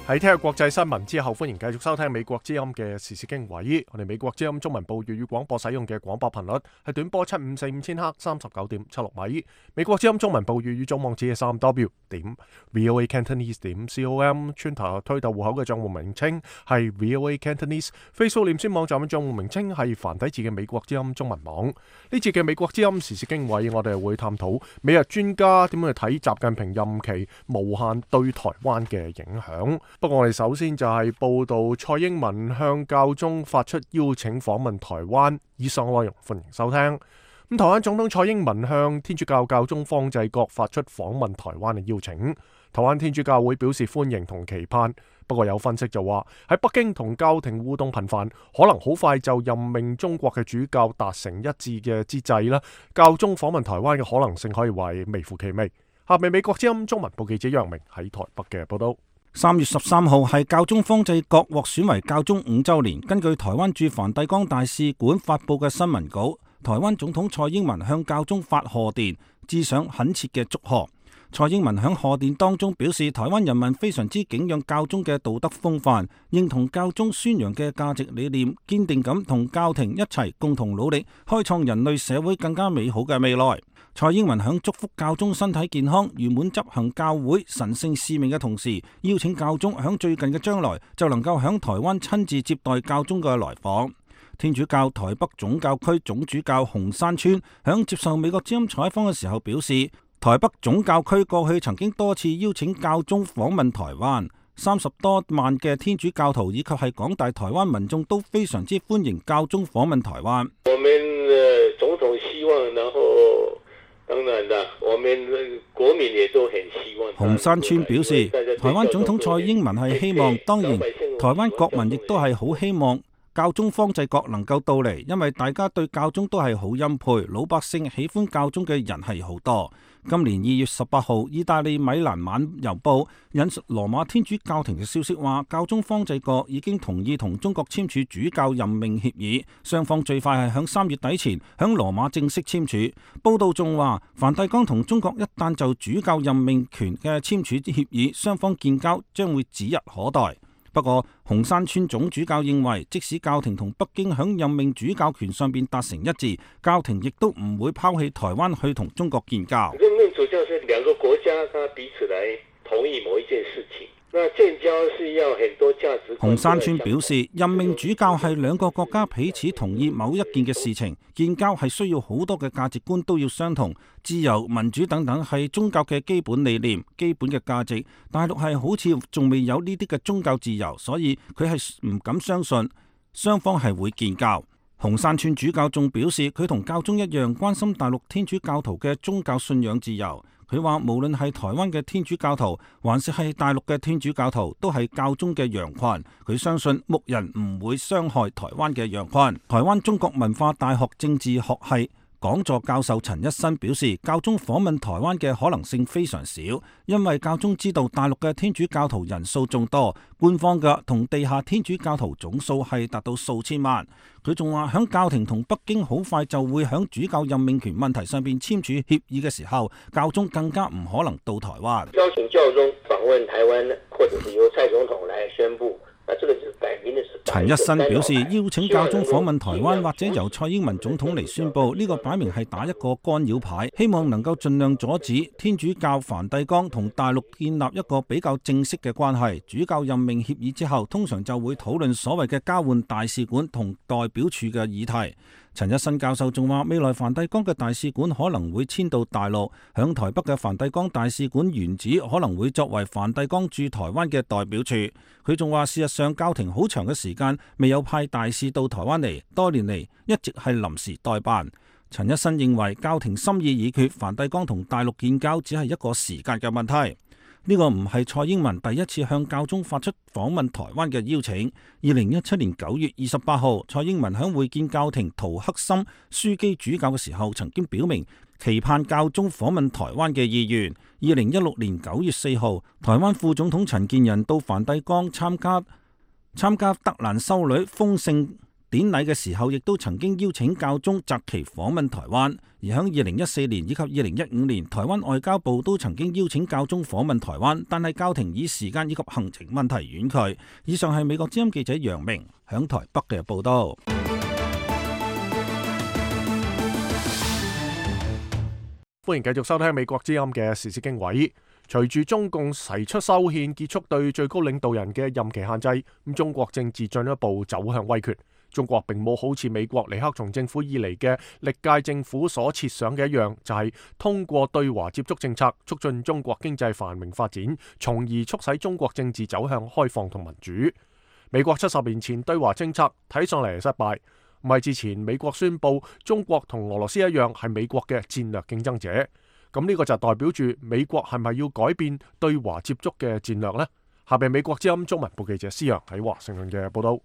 喺聽日國際新聞之後，歡迎繼續收聽美國之音嘅時事經緯。我哋美國之音中文部粵語廣播使用嘅廣播頻率係短波7545000赫39.76米。美國之音中文部粵語總網址係3w.voacantonese.com。Twitter 推特戶口嘅賬戶名稱係 VOA Cantonese。Facebook 臉書網站嘅賬戶名稱係繁體字嘅美國之音中文網。呢節嘅美國之音時事經緯，我哋會探討美日專家點樣去睇習近平任期無限對台灣嘅影響。不過我哋首先就係報道蔡英文向教宗發出邀請訪問台灣，以上內容歡迎收聽。台灣總統蔡英文向天主教教宗方濟各發出訪問台灣嘅邀請，台灣天主教會表示歡迎同期盼。不過有分析就話喺北京同教廷互動頻繁，可能好快就任命中國嘅主教達成一致嘅之際啦，教宗訪問台灣嘅可能性可以話微乎其微。下面美國之音中文部記者楊明喺台北嘅報道。3月13號係教宗方濟各獲選為教宗5週年。根據台灣駐梵蒂岡大使館發佈嘅新聞稿，台灣總統蔡英文向教宗發賀電，致上懇切嘅祝賀。蔡英文喺賀電當中表示，台灣人民非常之敬仰教宗嘅道德風範，認同教宗宣揚嘅價值理念，堅定咁同教廷一齊共同努力，開創人類社會更加美好嘅未來。蔡英文響祝福教宗身體健康、圓滿執行教會神聖使命嘅同時，邀請教宗響最近嘅將來就能夠響台灣親自接待教宗嘅來訪。天主教台北總教區總主教洪山川響接受美國之音採訪嘅時候表示，台北總教區過去曾經多次邀請教宗訪問台灣，30多萬嘅天主教徒以及係廣大台灣民眾都非常之歡迎教宗訪問台灣。我們總統希望，然後當然啦，我們國民也都很希望。洪山川表示，台灣總統蔡英文係希望，當然台灣國民亦都係好希望教宗方濟各能夠到嚟，因為大家對教宗都係好欽佩，老百姓喜歡教宗嘅人係好多。今年2月18號，意大利米蘭晚郵報引述羅馬天主教廷嘅消息話，教宗方濟各已經同意同中國簽署主教任命協議，雙方最快係響3月底前響羅馬正式簽署。報道仲話，梵蒂岡同中國一旦就主教任命權嘅簽署協議，雙方建交將會指日可待。不過，洪山川總主教認為，即使教廷同北京響任命主教權上邊達成一致，教廷亦都唔會拋棄台灣去同中國建交。任命主教是兩個國家，他彼此來同意某一件事情。那建交是要很多價值觀。洪山川表示，任命主教係兩個國家彼此同意某一件嘅事情，建交係需要好多嘅價值觀都要相同，自由、民主等等係宗教嘅基本理念、基本嘅價值。大陸係好似仲未有呢啲嘅宗教自由，所以佢係唔敢相信雙方係會建交。洪山川主教仲表示，佢同教宗一樣關心大陸天主教徒嘅宗教信仰自由。佢話無論係台灣嘅天主教徒，還是係大陸嘅天主教徒，都係教宗嘅羊群。佢相信牧人唔會傷害台灣嘅羊群。台灣中國文化大學政治學系講座教授陳一新表示，教宗訪問台灣嘅可能性非常少，因為教宗知道大陸嘅天主教徒人數眾多，官方嘅同地下天主教徒總數係達到數千萬。佢仲話響教廷同北京好快就會響主教任命權問題上邊簽署協議嘅時候，教宗更加唔可能到台灣。邀請教宗訪問台灣，或者是由蔡總統來宣布。陳一新表示，邀請教宗訪問台灣或者由蔡英文總統嚟宣布，呢個擺明係打一個干擾牌，希望能夠盡量阻止天主教梵蒂岡同大陸建立一個比較正式嘅關係。主教任命協議之後，通常就會討論所謂嘅交換大使館同代表處嘅議題。陳一新教授仲話，未來梵蒂岡嘅大使館可能會遷到大陸，響台北嘅梵蒂岡大使館原址可能會作為梵蒂岡駐台灣嘅代表處。佢仲話，事實上教廷好長嘅時間未有派大使到台灣嚟，多年嚟一直係臨時代辦。陳一新認為教廷心意已決，梵蒂岡同大陸建交只係一個時間嘅問題。呢個唔係蔡英文第一次向教宗發出訪問台灣嘅邀請。2017年9月28號，蔡英文響會見教廷陶克森樞機主教嘅時候，曾經表明期盼教宗訪問台灣嘅意願。2016年9月4號，台灣副總統陳建仁到梵蒂岡參加德蘭修女封聖典禮嘅時候，亦都曾經邀請教宗擇期訪問台灣。而喺2014年以及2015年，台灣外交部都曾經邀請教宗訪問台灣，但係教廷以時間以及行程問題婉拒。以上係美國之音記者楊明響台北嘅報道。歡迎繼續收聽美國之音嘅時事經緯。隨住中共提出修憲結束對最高領導人嘅任期限制，咁中國政治進一步走向威權。中國並冇好似美國尼克松政府以嚟嘅歷屆政府所設想嘅一樣，就係通過對華接觸政策促進中國經濟繁榮發展，從而促使中國政治走向開放同民主。美國70年前對華政策睇上嚟失敗，唔係之前美國宣布中國同俄羅斯一樣係美國嘅戰略競爭者，咁呢個就代表住美國係咪要改變對華接觸嘅戰略呢？下邊美國之音中文部記者施洋喺華盛頓嘅報道。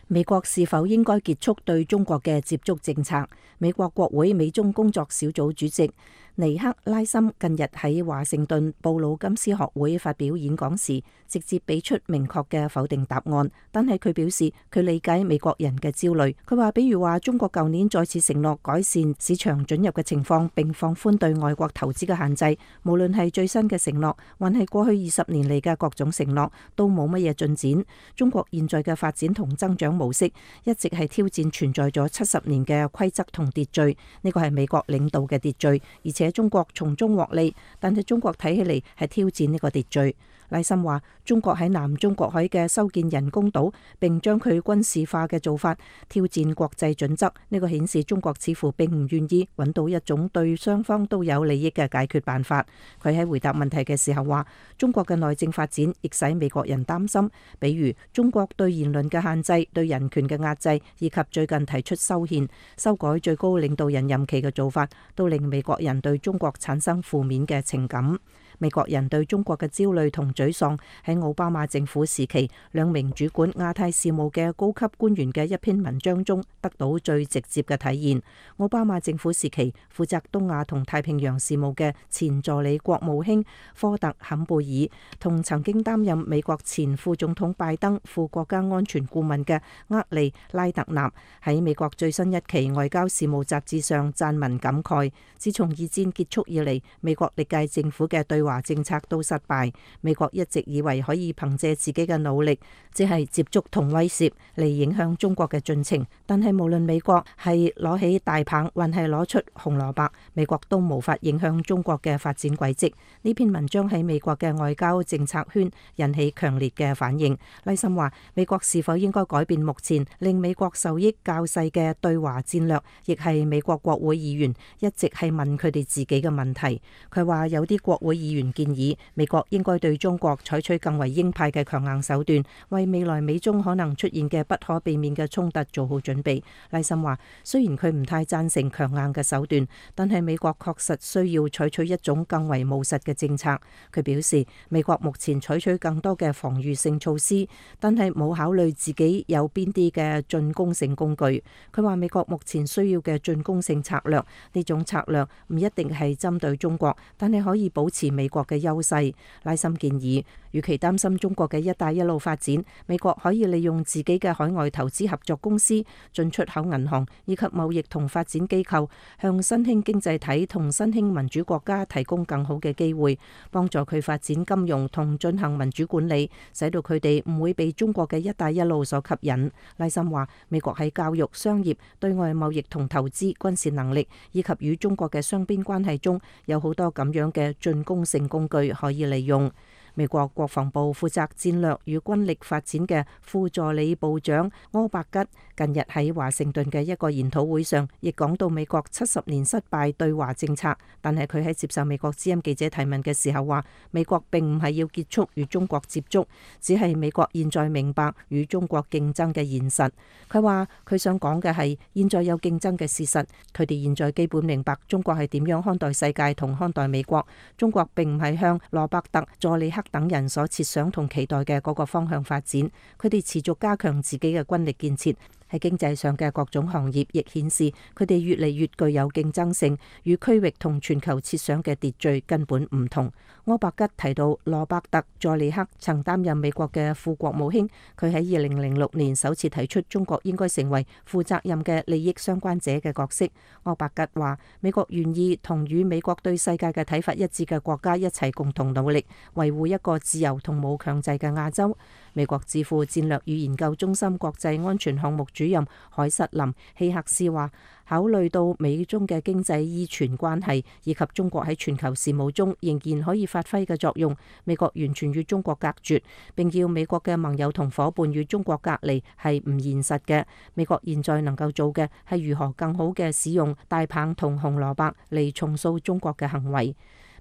美國是否應該結束對中國嘅接觸政策？美國國會美中工作小組主席尼克拉森近日喺華盛頓布魯金斯學會發表演講時，直接俾出明確嘅否定答案。但係佢表示佢理解美國人嘅焦慮。佢話，比如話中國舊年再次承諾改善市場准入嘅情況，並放寬對外國投資嘅限制。無論係最新嘅承諾，還係過去20年嚟嘅各種承諾，都冇乜嘢進展。中國現在嘅發展同增長模式一直係挑戰存在咗70年嘅規則同秩序。呢個係美國領導嘅秩序，而且中國從中獲利，但係中國睇起嚟係挑戰呢個秩序。賴森話，中國喺南中國海嘅修建人工島，並將佢軍事化嘅做法挑戰國際準則。呢個顯示中國似乎並唔願意揾到一種對雙方都有利益嘅解決辦法。佢喺回答問題嘅時候話，中國嘅內政發展亦使美國人擔心，比如中國對言論嘅限制、對人權嘅壓制，以及最近提出修憲、修改最高領導人任期嘅做法，都令美國人對中國產生負面嘅情感。美國人對中國嘅焦慮同沮喪喺奧巴馬政府時期2名主管亞太事務嘅高級官員嘅一篇文章中得到最直接嘅體現。奧巴馬政府時期負責東亞同太平洋事務嘅前助理國務卿科特坎貝爾，同曾經擔任美國前副總統拜登副國家安全顧問嘅厄利拉特納喺美國最新一期外交事務雜誌上撰文感慨，自從2戰結束以嚟，美國歷屆政府嘅對華政策都失敗。美國一直以為可以憑借自己嘅努力，即係接觸同威懾嚟影響中國嘅進程，但係無論美國係攞起大棒還係攞出紅蘿蔔，美國都無法影響中國嘅發展軌跡。呢篇文章喺美國嘅外交政策圈引起強烈嘅反應。賴森話，美國是否應該改變目前令美國受益較細嘅對華戰略，亦係美國國會議員一直係問佢哋自己嘅問題。佢話有啲國會議員建議美國應該對中國採取更為鷹派嘅強硬手段，為未來美中可能出現嘅不可避免嘅衝突做好準備。賴森話，雖然佢唔太贊成強硬嘅手段，但係美國確實需要採取一種更為務實嘅政策。佢表示，美國目前採取更多嘅防禦性措施，但係冇考慮自己有邊啲嘅進攻性工具。佢話美國目前需要嘅進攻性策略，呢種策略唔一定係針對中國，但係可以保持美國嘅優勢。賴森建議，與其擔心中國嘅一帶一路發展，美國可以利用自己嘅海外投資合作公司、進出口銀行以及貿易同發展機構，向新興經濟體同新興民主國家提供更好嘅機會，幫助佢發展金融同進行民主管理，使到佢哋唔會被中國嘅一帶一路所吸引。賴森話，美國喺教育、商業、對外貿易同投資、軍事能力以及與中國嘅雙邊關係中，有好多咁樣嘅進攻性工具可以利用。美國國防部負責戰略與軍力發展嘅副助理部長柯伯吉近日喺華盛頓嘅一個研討會上，亦講到美國70年失敗對華政策。但係佢喺接受美國之音記者提問嘅時候話，美國並唔係要結束與中國接觸，只係美國現在明白與中國競爭嘅現實。佢話佢想講嘅係現在有競爭嘅事實，佢哋現在基本明白中國係點樣看待世界同看待美國。中國並唔係向羅伯特、佐里克等人所設想同期待嘅嗰個方向發展，佢哋持續加強自己嘅軍力建設。喺經濟上嘅各種行業亦顯示佢哋越嚟越具有競爭性，與區域同全球設想嘅秩序根本唔同。柯伯吉提到羅伯特·佐里克曾擔任美國嘅副國務卿，佢喺2006年首次提出中國應該成為負責任嘅利益相關者嘅角色。柯伯吉話：美國願意同與美國對世界嘅睇法一致嘅國家一齊共同努力，維護一個自由同冇強制嘅亞洲。美國智庫戰略與研究中心國際安全項目主任海瑟琳希克斯話：考慮到美中嘅經濟依存關係，以及中國喺全球事務中仍然可以發揮嘅作用，美國完全與中國隔絕，並要美國嘅盟友同夥伴與中國隔離係唔現實嘅。美國現在能夠做嘅係如何更好嘅使用大棒同紅蘿蔔嚟重塑中國嘅行為。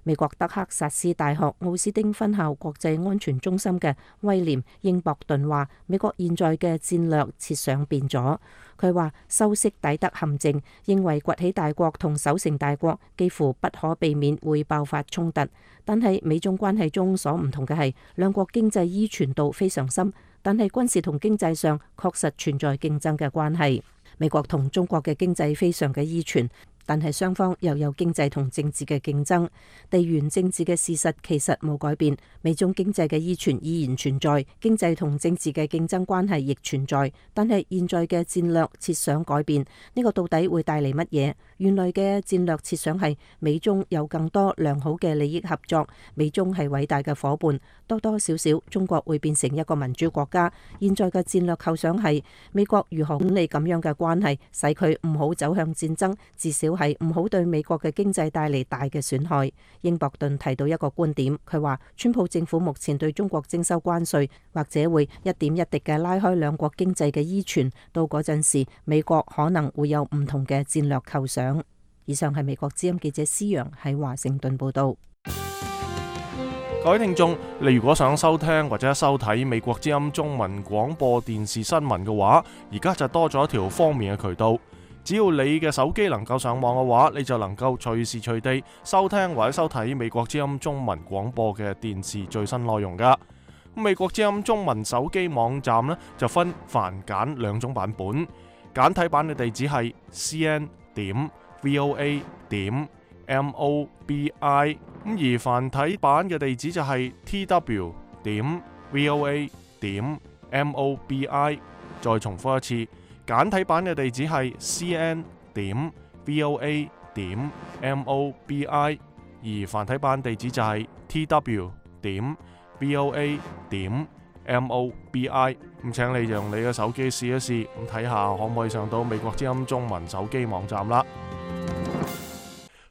美國德克薩斯大學奧斯丁分校國際安全中心嘅威廉英博頓話：美國現在嘅戰略設想變咗。佢話修昔底德陷阱，認為崛起大國同守成大國幾乎不可避免會爆發衝突。但係美中關係中所唔同嘅係，兩國經濟依存度非常深，但係軍事同經濟上確實存在競爭嘅關係。美國同中國嘅經濟非常嘅依存，但係雙方又有經濟同政治嘅競爭，地緣政治嘅事實其實冇改變，美中經濟嘅依存依然存在，經濟同政治嘅競爭關係亦存在，但係現在嘅戰略設想改變，呢個到底會帶嚟乜嘢？原來嘅戰略設想係美中有更多良好嘅利益合作，美中係偉大嘅夥伴，多多少少中國會變成一個民主國家。現在嘅戰略構想係美國如何管理咁樣嘅關係，使佢唔好走向戰爭，至少係唔好對美國嘅經濟帶嚟大嘅損害。英博頓提到一個觀點，佢話川普政府目前對中國徵收關稅，或者會一點一滴嘅拉開兩國經濟嘅依存，到嗰陣時美國可能會有唔同嘅戰略構想。以上係美國之音記者施陽喺華盛頓報道。各位聽眾，你如果想收聽或者收睇美國之音中文廣播電視新聞嘅話，而家就多咗一條方便嘅渠道。只要你嘅手機能夠上網嘅話，你就能夠隨時隨地收聽或者收睇美國之音中文廣播嘅電視最新內容噶。美國之音中文手機網站呢，就分繁簡兩種版本，簡體版嘅地址係 cn.voa.mobi， 而繁體版嘅地址就係 tw.voa.mobi。 再重複一次，簡體版嘅地址係 cn.voa.mobi， 而繁體版地址就係 tw.voa.mobi。 咁請你用你嘅手機試一試，咁睇下可唔可以上到美國之音中文手機網站啦。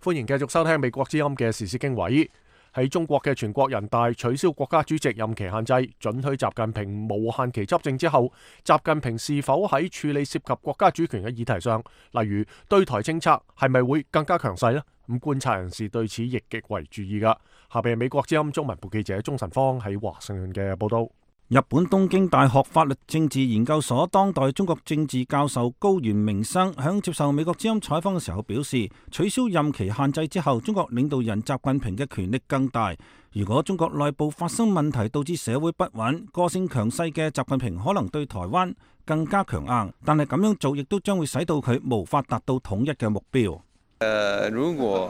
歡迎繼續收聽美國之音嘅時事經緯。喺中國嘅全國人大取消國家主席任期限制，准許習近平無限期執政之後，習近平是否喺處理涉及國家主權嘅議題上，例如對台政策，係咪會更加強勢呢？咁觀察人士對此亦極為注意噶。下邊係美國之音中文部記者鍾晨芳喺華盛頓嘅報道。日本東京大學法律政治研究所當代中國政治教授高原明生響接受美國之音採訪嘅時候表示，取消任期限制之後，中國領導人習近平嘅權力更大。如果中國內部發生問題導致社會不穩，個性強勢嘅習近平可能對台灣更加強硬，但係咁樣做亦都將會使到佢無法達到統一嘅目標。如果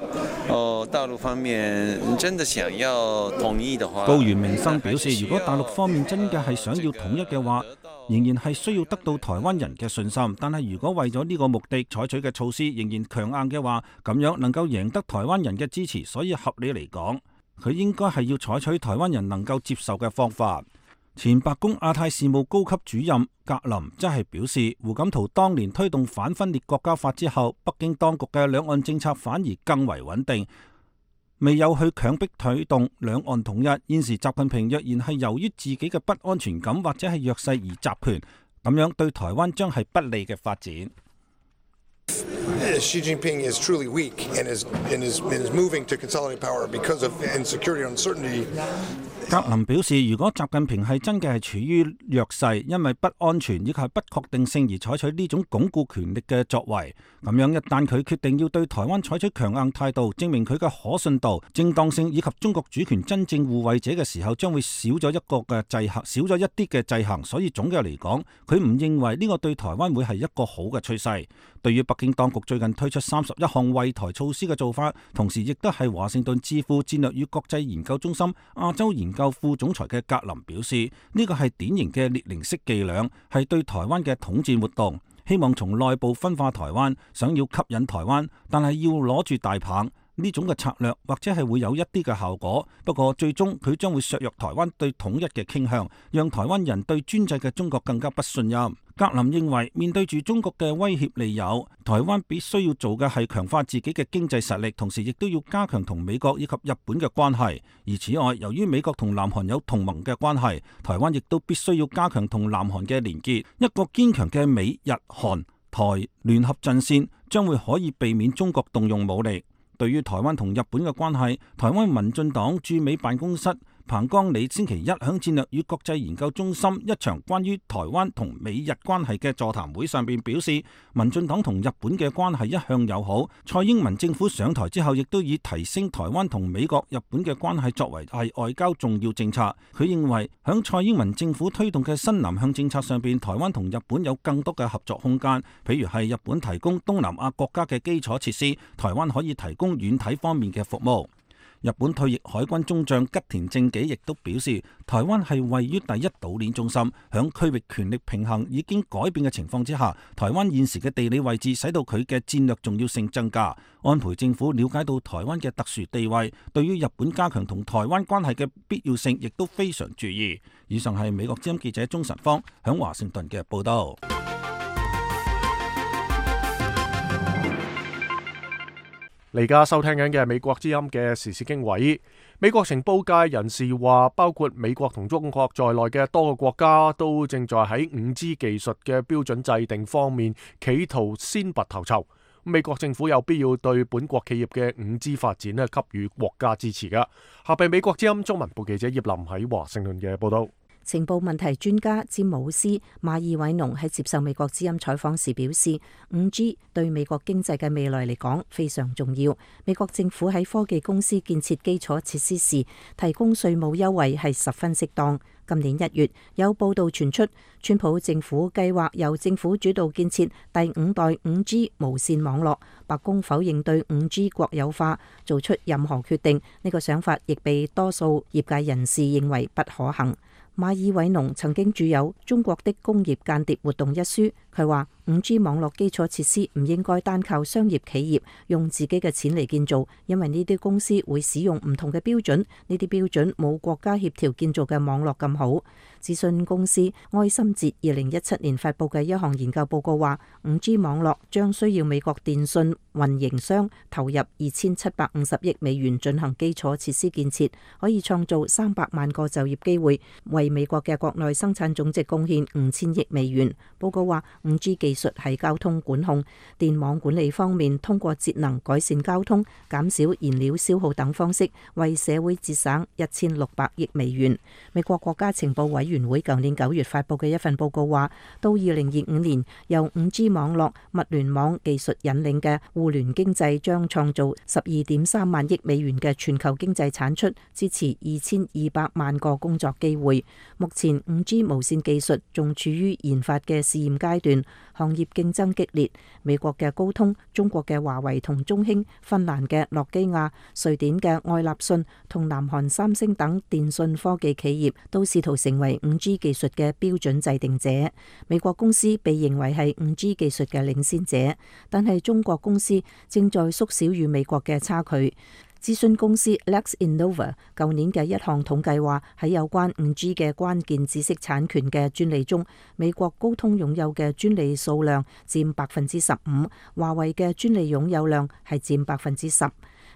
大陸方面真的想要統一的話，高原明生表示，如果大陸方面真嘅係想要統一嘅話，仍然係需要得到台灣人嘅信心。但係如果為咗呢個目的採取嘅措施仍然強硬嘅話，咁樣能夠贏得台灣人嘅支持。所以合理嚟講，佢應該係要採取台灣人能夠接受嘅方法。前白宮亞太事務高級主任格林則係表示，胡錦濤當年推動反分裂國家法之後，北京當局嘅兩岸政策反而更為穩定。未有去強迫推動兩岸統一。現時習近平若然係由於自己嘅不安全感或者係弱勢而集權，咁樣對台灣將係不利嘅發展。Xi Jinping is truly weak and is moving to consolidate power because of insecurity and uncertainty. 格林表示，如果習近平係真嘅係處於弱勢，因為不安全以及係不確定性而採取呢種鞏固權力嘅作為，咁樣一旦佢決定要對台灣採取強硬態度，證明佢嘅可信度、正當性以及中國主權真正護衛者嘅時候，將會少咗一個嘅制衡，少咗一啲嘅制衡。所以總嘅嚟講，佢唔認為呢個對台灣會係一個好嘅趨勢。對於北京當局最近推出31項惠台措施嘅做法，同時亦都係華盛頓智庫戰略與國際研究中心亞洲研究副總裁嘅格林表示，呢個係典型嘅列寧式伎倆，係對台灣嘅統戰活動，希望從內部分化台灣，想要吸引台灣，但係要攞住大棒。呢種嘅策略或者係會有一啲嘅效果，不過最終佢將會削弱台灣對統一嘅傾向，讓台灣人對專制嘅中國更加不信任。格林認為，面對住中國嘅威脅利誘，台灣必須要做嘅係強化自己嘅經濟實力，同時亦都要加強同美國以及日本嘅關係。而此外，由於美國同南韓有同盟嘅關係，台灣亦都必須要加強同南韓嘅連結。一個堅強嘅美日韓台聯合陣線，將會可以避免中國動用武力。對於台灣同日本嘅關係，台灣民進黨駐美辦公室彭江理星期一響戰略與國際研究中心一場關於台灣同美日關係嘅座談會上邊表示，民進黨同日本嘅關係一向友好。蔡英文政府上台之後，亦都以提升台灣同美國、日本嘅關係作為係外交重要政策。佢認為響蔡英文政府推動嘅新南向政策上邊，台灣同日本有更多嘅合作空間，譬如係日本提供東南亞國家嘅基礎設施，台灣可以提供軟體方面嘅服務。日本退役海軍中將吉田正紀亦都表示，台灣係位於第一島鏈中心，響區域權力平衡已經改變嘅情況之下，台灣現時嘅地理位置使到佢嘅戰略重要性增加。安倍政府了解到台灣嘅特殊地位，對於日本加強同台灣關係嘅必要性亦都非常注意。以上係美國之音記者鍾晨芳響華盛頓嘅報道。你而家收聽緊嘅係美國之音嘅時事經緯。美國情報界人士話，包括美國同中國在內嘅多個國家都正在喺5G 技術嘅標準制定方面企圖先拔頭籌。美國政府有必要對本國企業嘅5G 發展給予國家支持㗎。下邊美國之音中文部記者葉林喺華盛頓嘅報道。情報問題專家詹姆斯·馬爾韋農喺接受美國之音採訪時表示，5G 對美國經濟嘅未來嚟講非常重要。美國政府喺科技公司建設基礎設施時提供稅務優惠係十分適當。今年1月有報道傳出，川普政府計劃由政府主導建設第5代5G 無線網絡。白宮否認對5G 國有化做出任何決定，呢個想法亦被多數業界人士認為不可行。馬爾韋農曾經著有《中國的工業間諜活動》一書，佢話5G 網絡基礎設施唔應該單靠商業企業用自己嘅錢嚟建造，因為呢啲公司會使用唔同嘅標準，呢啲標準冇國家協調建造嘅網絡咁好。資訊公司埃森哲2017年發佈嘅一項研究報告話，5G 網絡將需要美國電信運營商投入2750億美元進行基礎設施建設，可以創造300萬個就業機會，為美國嘅國內生產總值貢獻5000億美元。報告話，5G 技術喺交通管控、電網管理方面，通過節能改善交通、減少燃料消耗等方式，為社會節省1600億美元。美國國家情報委員會舊年9月發佈嘅一份報告話，到2025年，由5G 網絡、物聯網技術引領嘅互聯經濟將創造12.3萬億美元嘅全球經濟產出，支持2200萬個工作機會。目前5G 無線技術仲處於研發嘅試驗階段，行業競爭激烈。美國嘅高通、中國嘅華為同中興、芬蘭嘅諾基亞、瑞典嘅愛立信同南韓三星等電信科技企業都試圖成為5G 技術嘅標準制定者。美國公司被認為係5G 技術嘅領先者，但係中國公司正在縮小與美國嘅差距。諮詢公司 LexInnova 舊年嘅一項統計話，喺有關5G 嘅關鍵知識產權嘅專利中，美國高通擁有嘅專利數量佔15%，華為嘅專利擁有量係佔10%。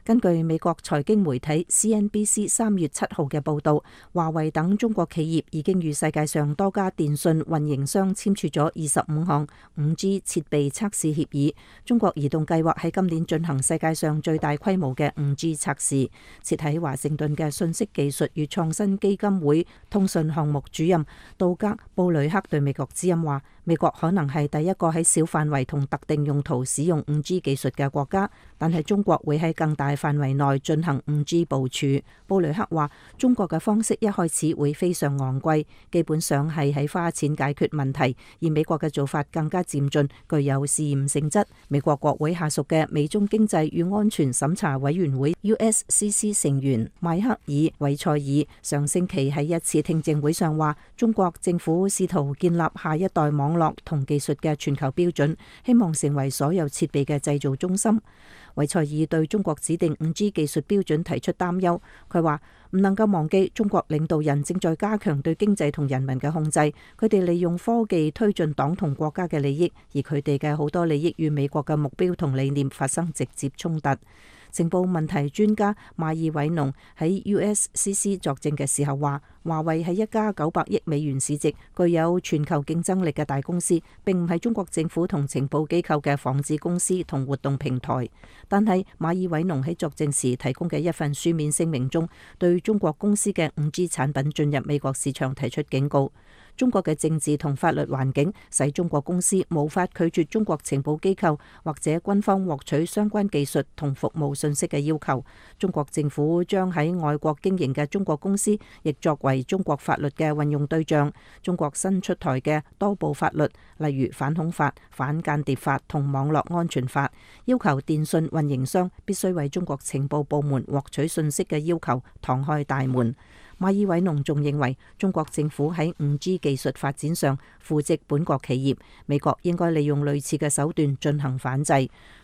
根據美國財經媒體 CNBC 3月7號嘅報導，華為等中國企業已經與世界上多家電信運營商簽署咗25項 5G 設備測試協議。中國移動計劃喺今年進行世界上最大規模嘅 5G 測試。設喺華盛頓嘅信息技術與創新基金會通訊項目主任杜格布雷克對美國之音話：美國可能係第一個喺小範圍同特定用途使用 5G 技術嘅國家，但係中國會喺更大範圍內進行 5G 部署。布雷克話：中國嘅方式一開始會非常昂貴，基本上係喺花錢解決問題，而美國嘅做法更加漸進，具有試驗性質。美國國會下屬嘅美中經濟與安全審查委員會 USCC 成員邁克爾韋塞爾上星期喺一次聽證會上話：中國政府試圖建立下一代網絡同技術嘅全球標準，希望成為所有設備嘅製造中心。韋塞爾對中國指定 5G 技術標準提出擔憂，佢話唔能夠忘記中國領導人正在加強對經濟同人民嘅控制，佢哋利用科技推進黨同國家嘅利益，而佢哋嘅好多利益與美國嘅目標同理念發生直接衝突。情報問題專家馬爾韋農喺 USCC 作證嘅時候話：華為係一家900億美元市值、具有全球競爭力嘅大公司，並唔係中國政府同情報機構嘅仿製公司同活動平台。但係馬爾韋農喺作證時提供嘅一份書面聲明中，對中國公司嘅 5G 產品進入美國市場提出警告。中國嘅政治同法律環境使中國公司無法拒絕中國情報機構或者軍方獲取相關技術同服務信息嘅要求。中國政府將喺外國經營嘅中國公司亦作為中國法律嘅運用對象。中國新出台嘅多部法律，例如反恐法、反間諜法同網絡安全法，要求電信運營商必須為中國情報部門獲取信息嘅要求敞開大門。馬爾韋農仲認為，中國政府喺 5G 技術發展上扶植本國企業，美國應該利用類似嘅手段進行反制。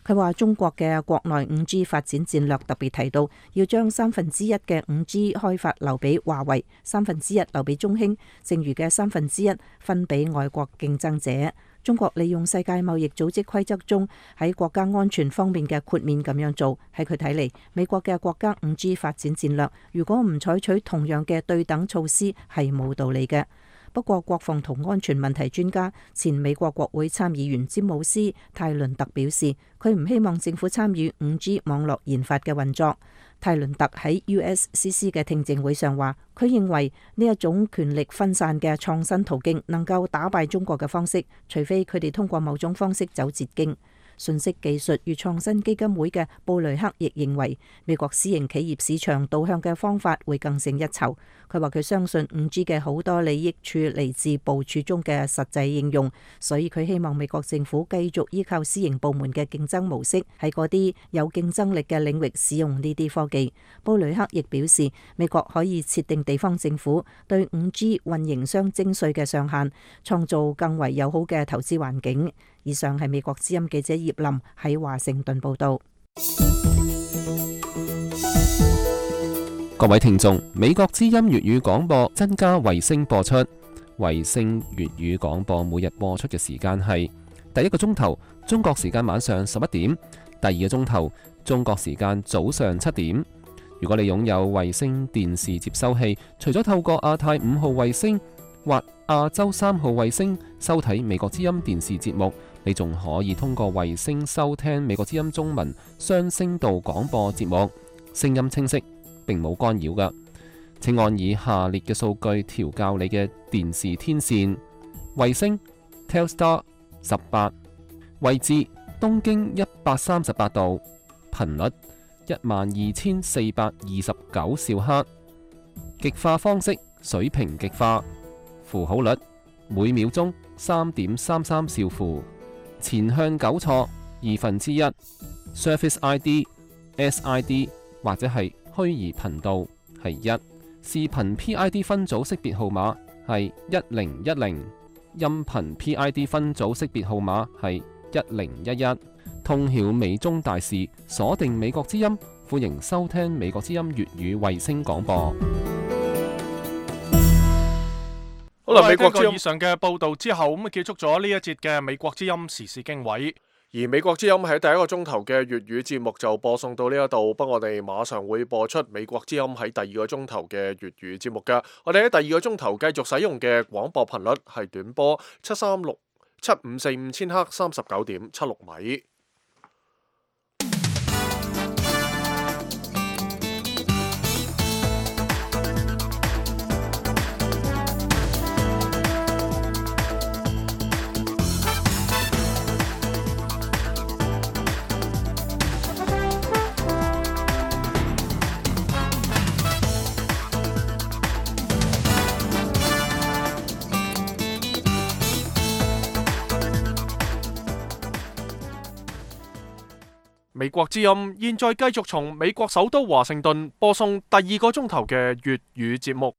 佢話中國嘅國內 5G 發展戰略特別提到，要將1/3嘅 5G 開發留俾華為，1/3留俾中興，剩餘嘅1/3分俾外國競爭者。中國利用世界貿易組織規則中喺國家安全方面嘅豁免咁樣做，喺佢睇嚟，美國嘅國家 5G 發展戰略如果唔採取同樣嘅對等措施係冇道理嘅。不過，國防同安全問題專家、前美國國會參議員詹姆斯泰倫特表示，佢唔希望政府參與 5G 網絡研發嘅運作。泰倫特喺 USCC 嘅聽證會上話，佢認為呢一種權力分散嘅創新途徑能夠打敗中國嘅方式，除非佢哋通過某種方式走捷徑。信息技術與創新基金會嘅布雷克亦認為，美國私營企業市場導向嘅方法會更勝一籌。佢話佢相信 5G 嘅好多利益處嚟自部署中嘅實際應用，所以佢希望美國政府繼續依靠私營部門嘅競爭模式，喺嗰啲有競爭力嘅領域使用呢啲科技。布雷克亦表示，美國可以設定地方政府對 5G 運營商徵稅嘅上限，創造更為友好嘅投資環境。以上係美國之音記者葉林喺華盛頓報道。各位聽眾，美國之音粵語廣播增加衛星播出。衛星粵語廣播每日播出嘅時間係第一個鐘頭中國時間晚上11點，第二個鐘頭中國時間早上7點。如果你擁有衛星電視接收器，除咗透過亞太5號衛星或亞洲3號衛星收睇美國之音電視節目，你仲可以通過衛星收聽美國之音中文雙聲道廣播節目，聲音清晰，並冇干擾㗎。請按以下列嘅數據調校你嘅電視天線：衛星 Telstar 18，位置東經138度，頻率12429兆赫，極化方式水平極化，符號率每秒鐘3.33兆符，前向糾錯1/2， Surface ID、SID 或者係虛擬頻道係1，視頻 PID 分組識別號碼係1010，音頻 PID 分組識別號碼係1011。通曉美中大事，鎖定美國之音，歡迎收聽美國之音粵語衛星廣播。好啦，美國之音以上嘅報道之後，咁啊結束咗呢一節嘅美國之音時事經緯。而美國之音喺第一個鐘頭嘅粵語節目就播送到呢一度，不過我哋馬上會播出美國之音喺第二個鐘頭嘅粵語節目㗎。我哋喺第二個鐘頭繼續使用嘅廣播頻率係短波7367545千赫39.76米。美國之音現在繼續從美國首都華盛頓播送第二個鐘頭嘅粵語節目。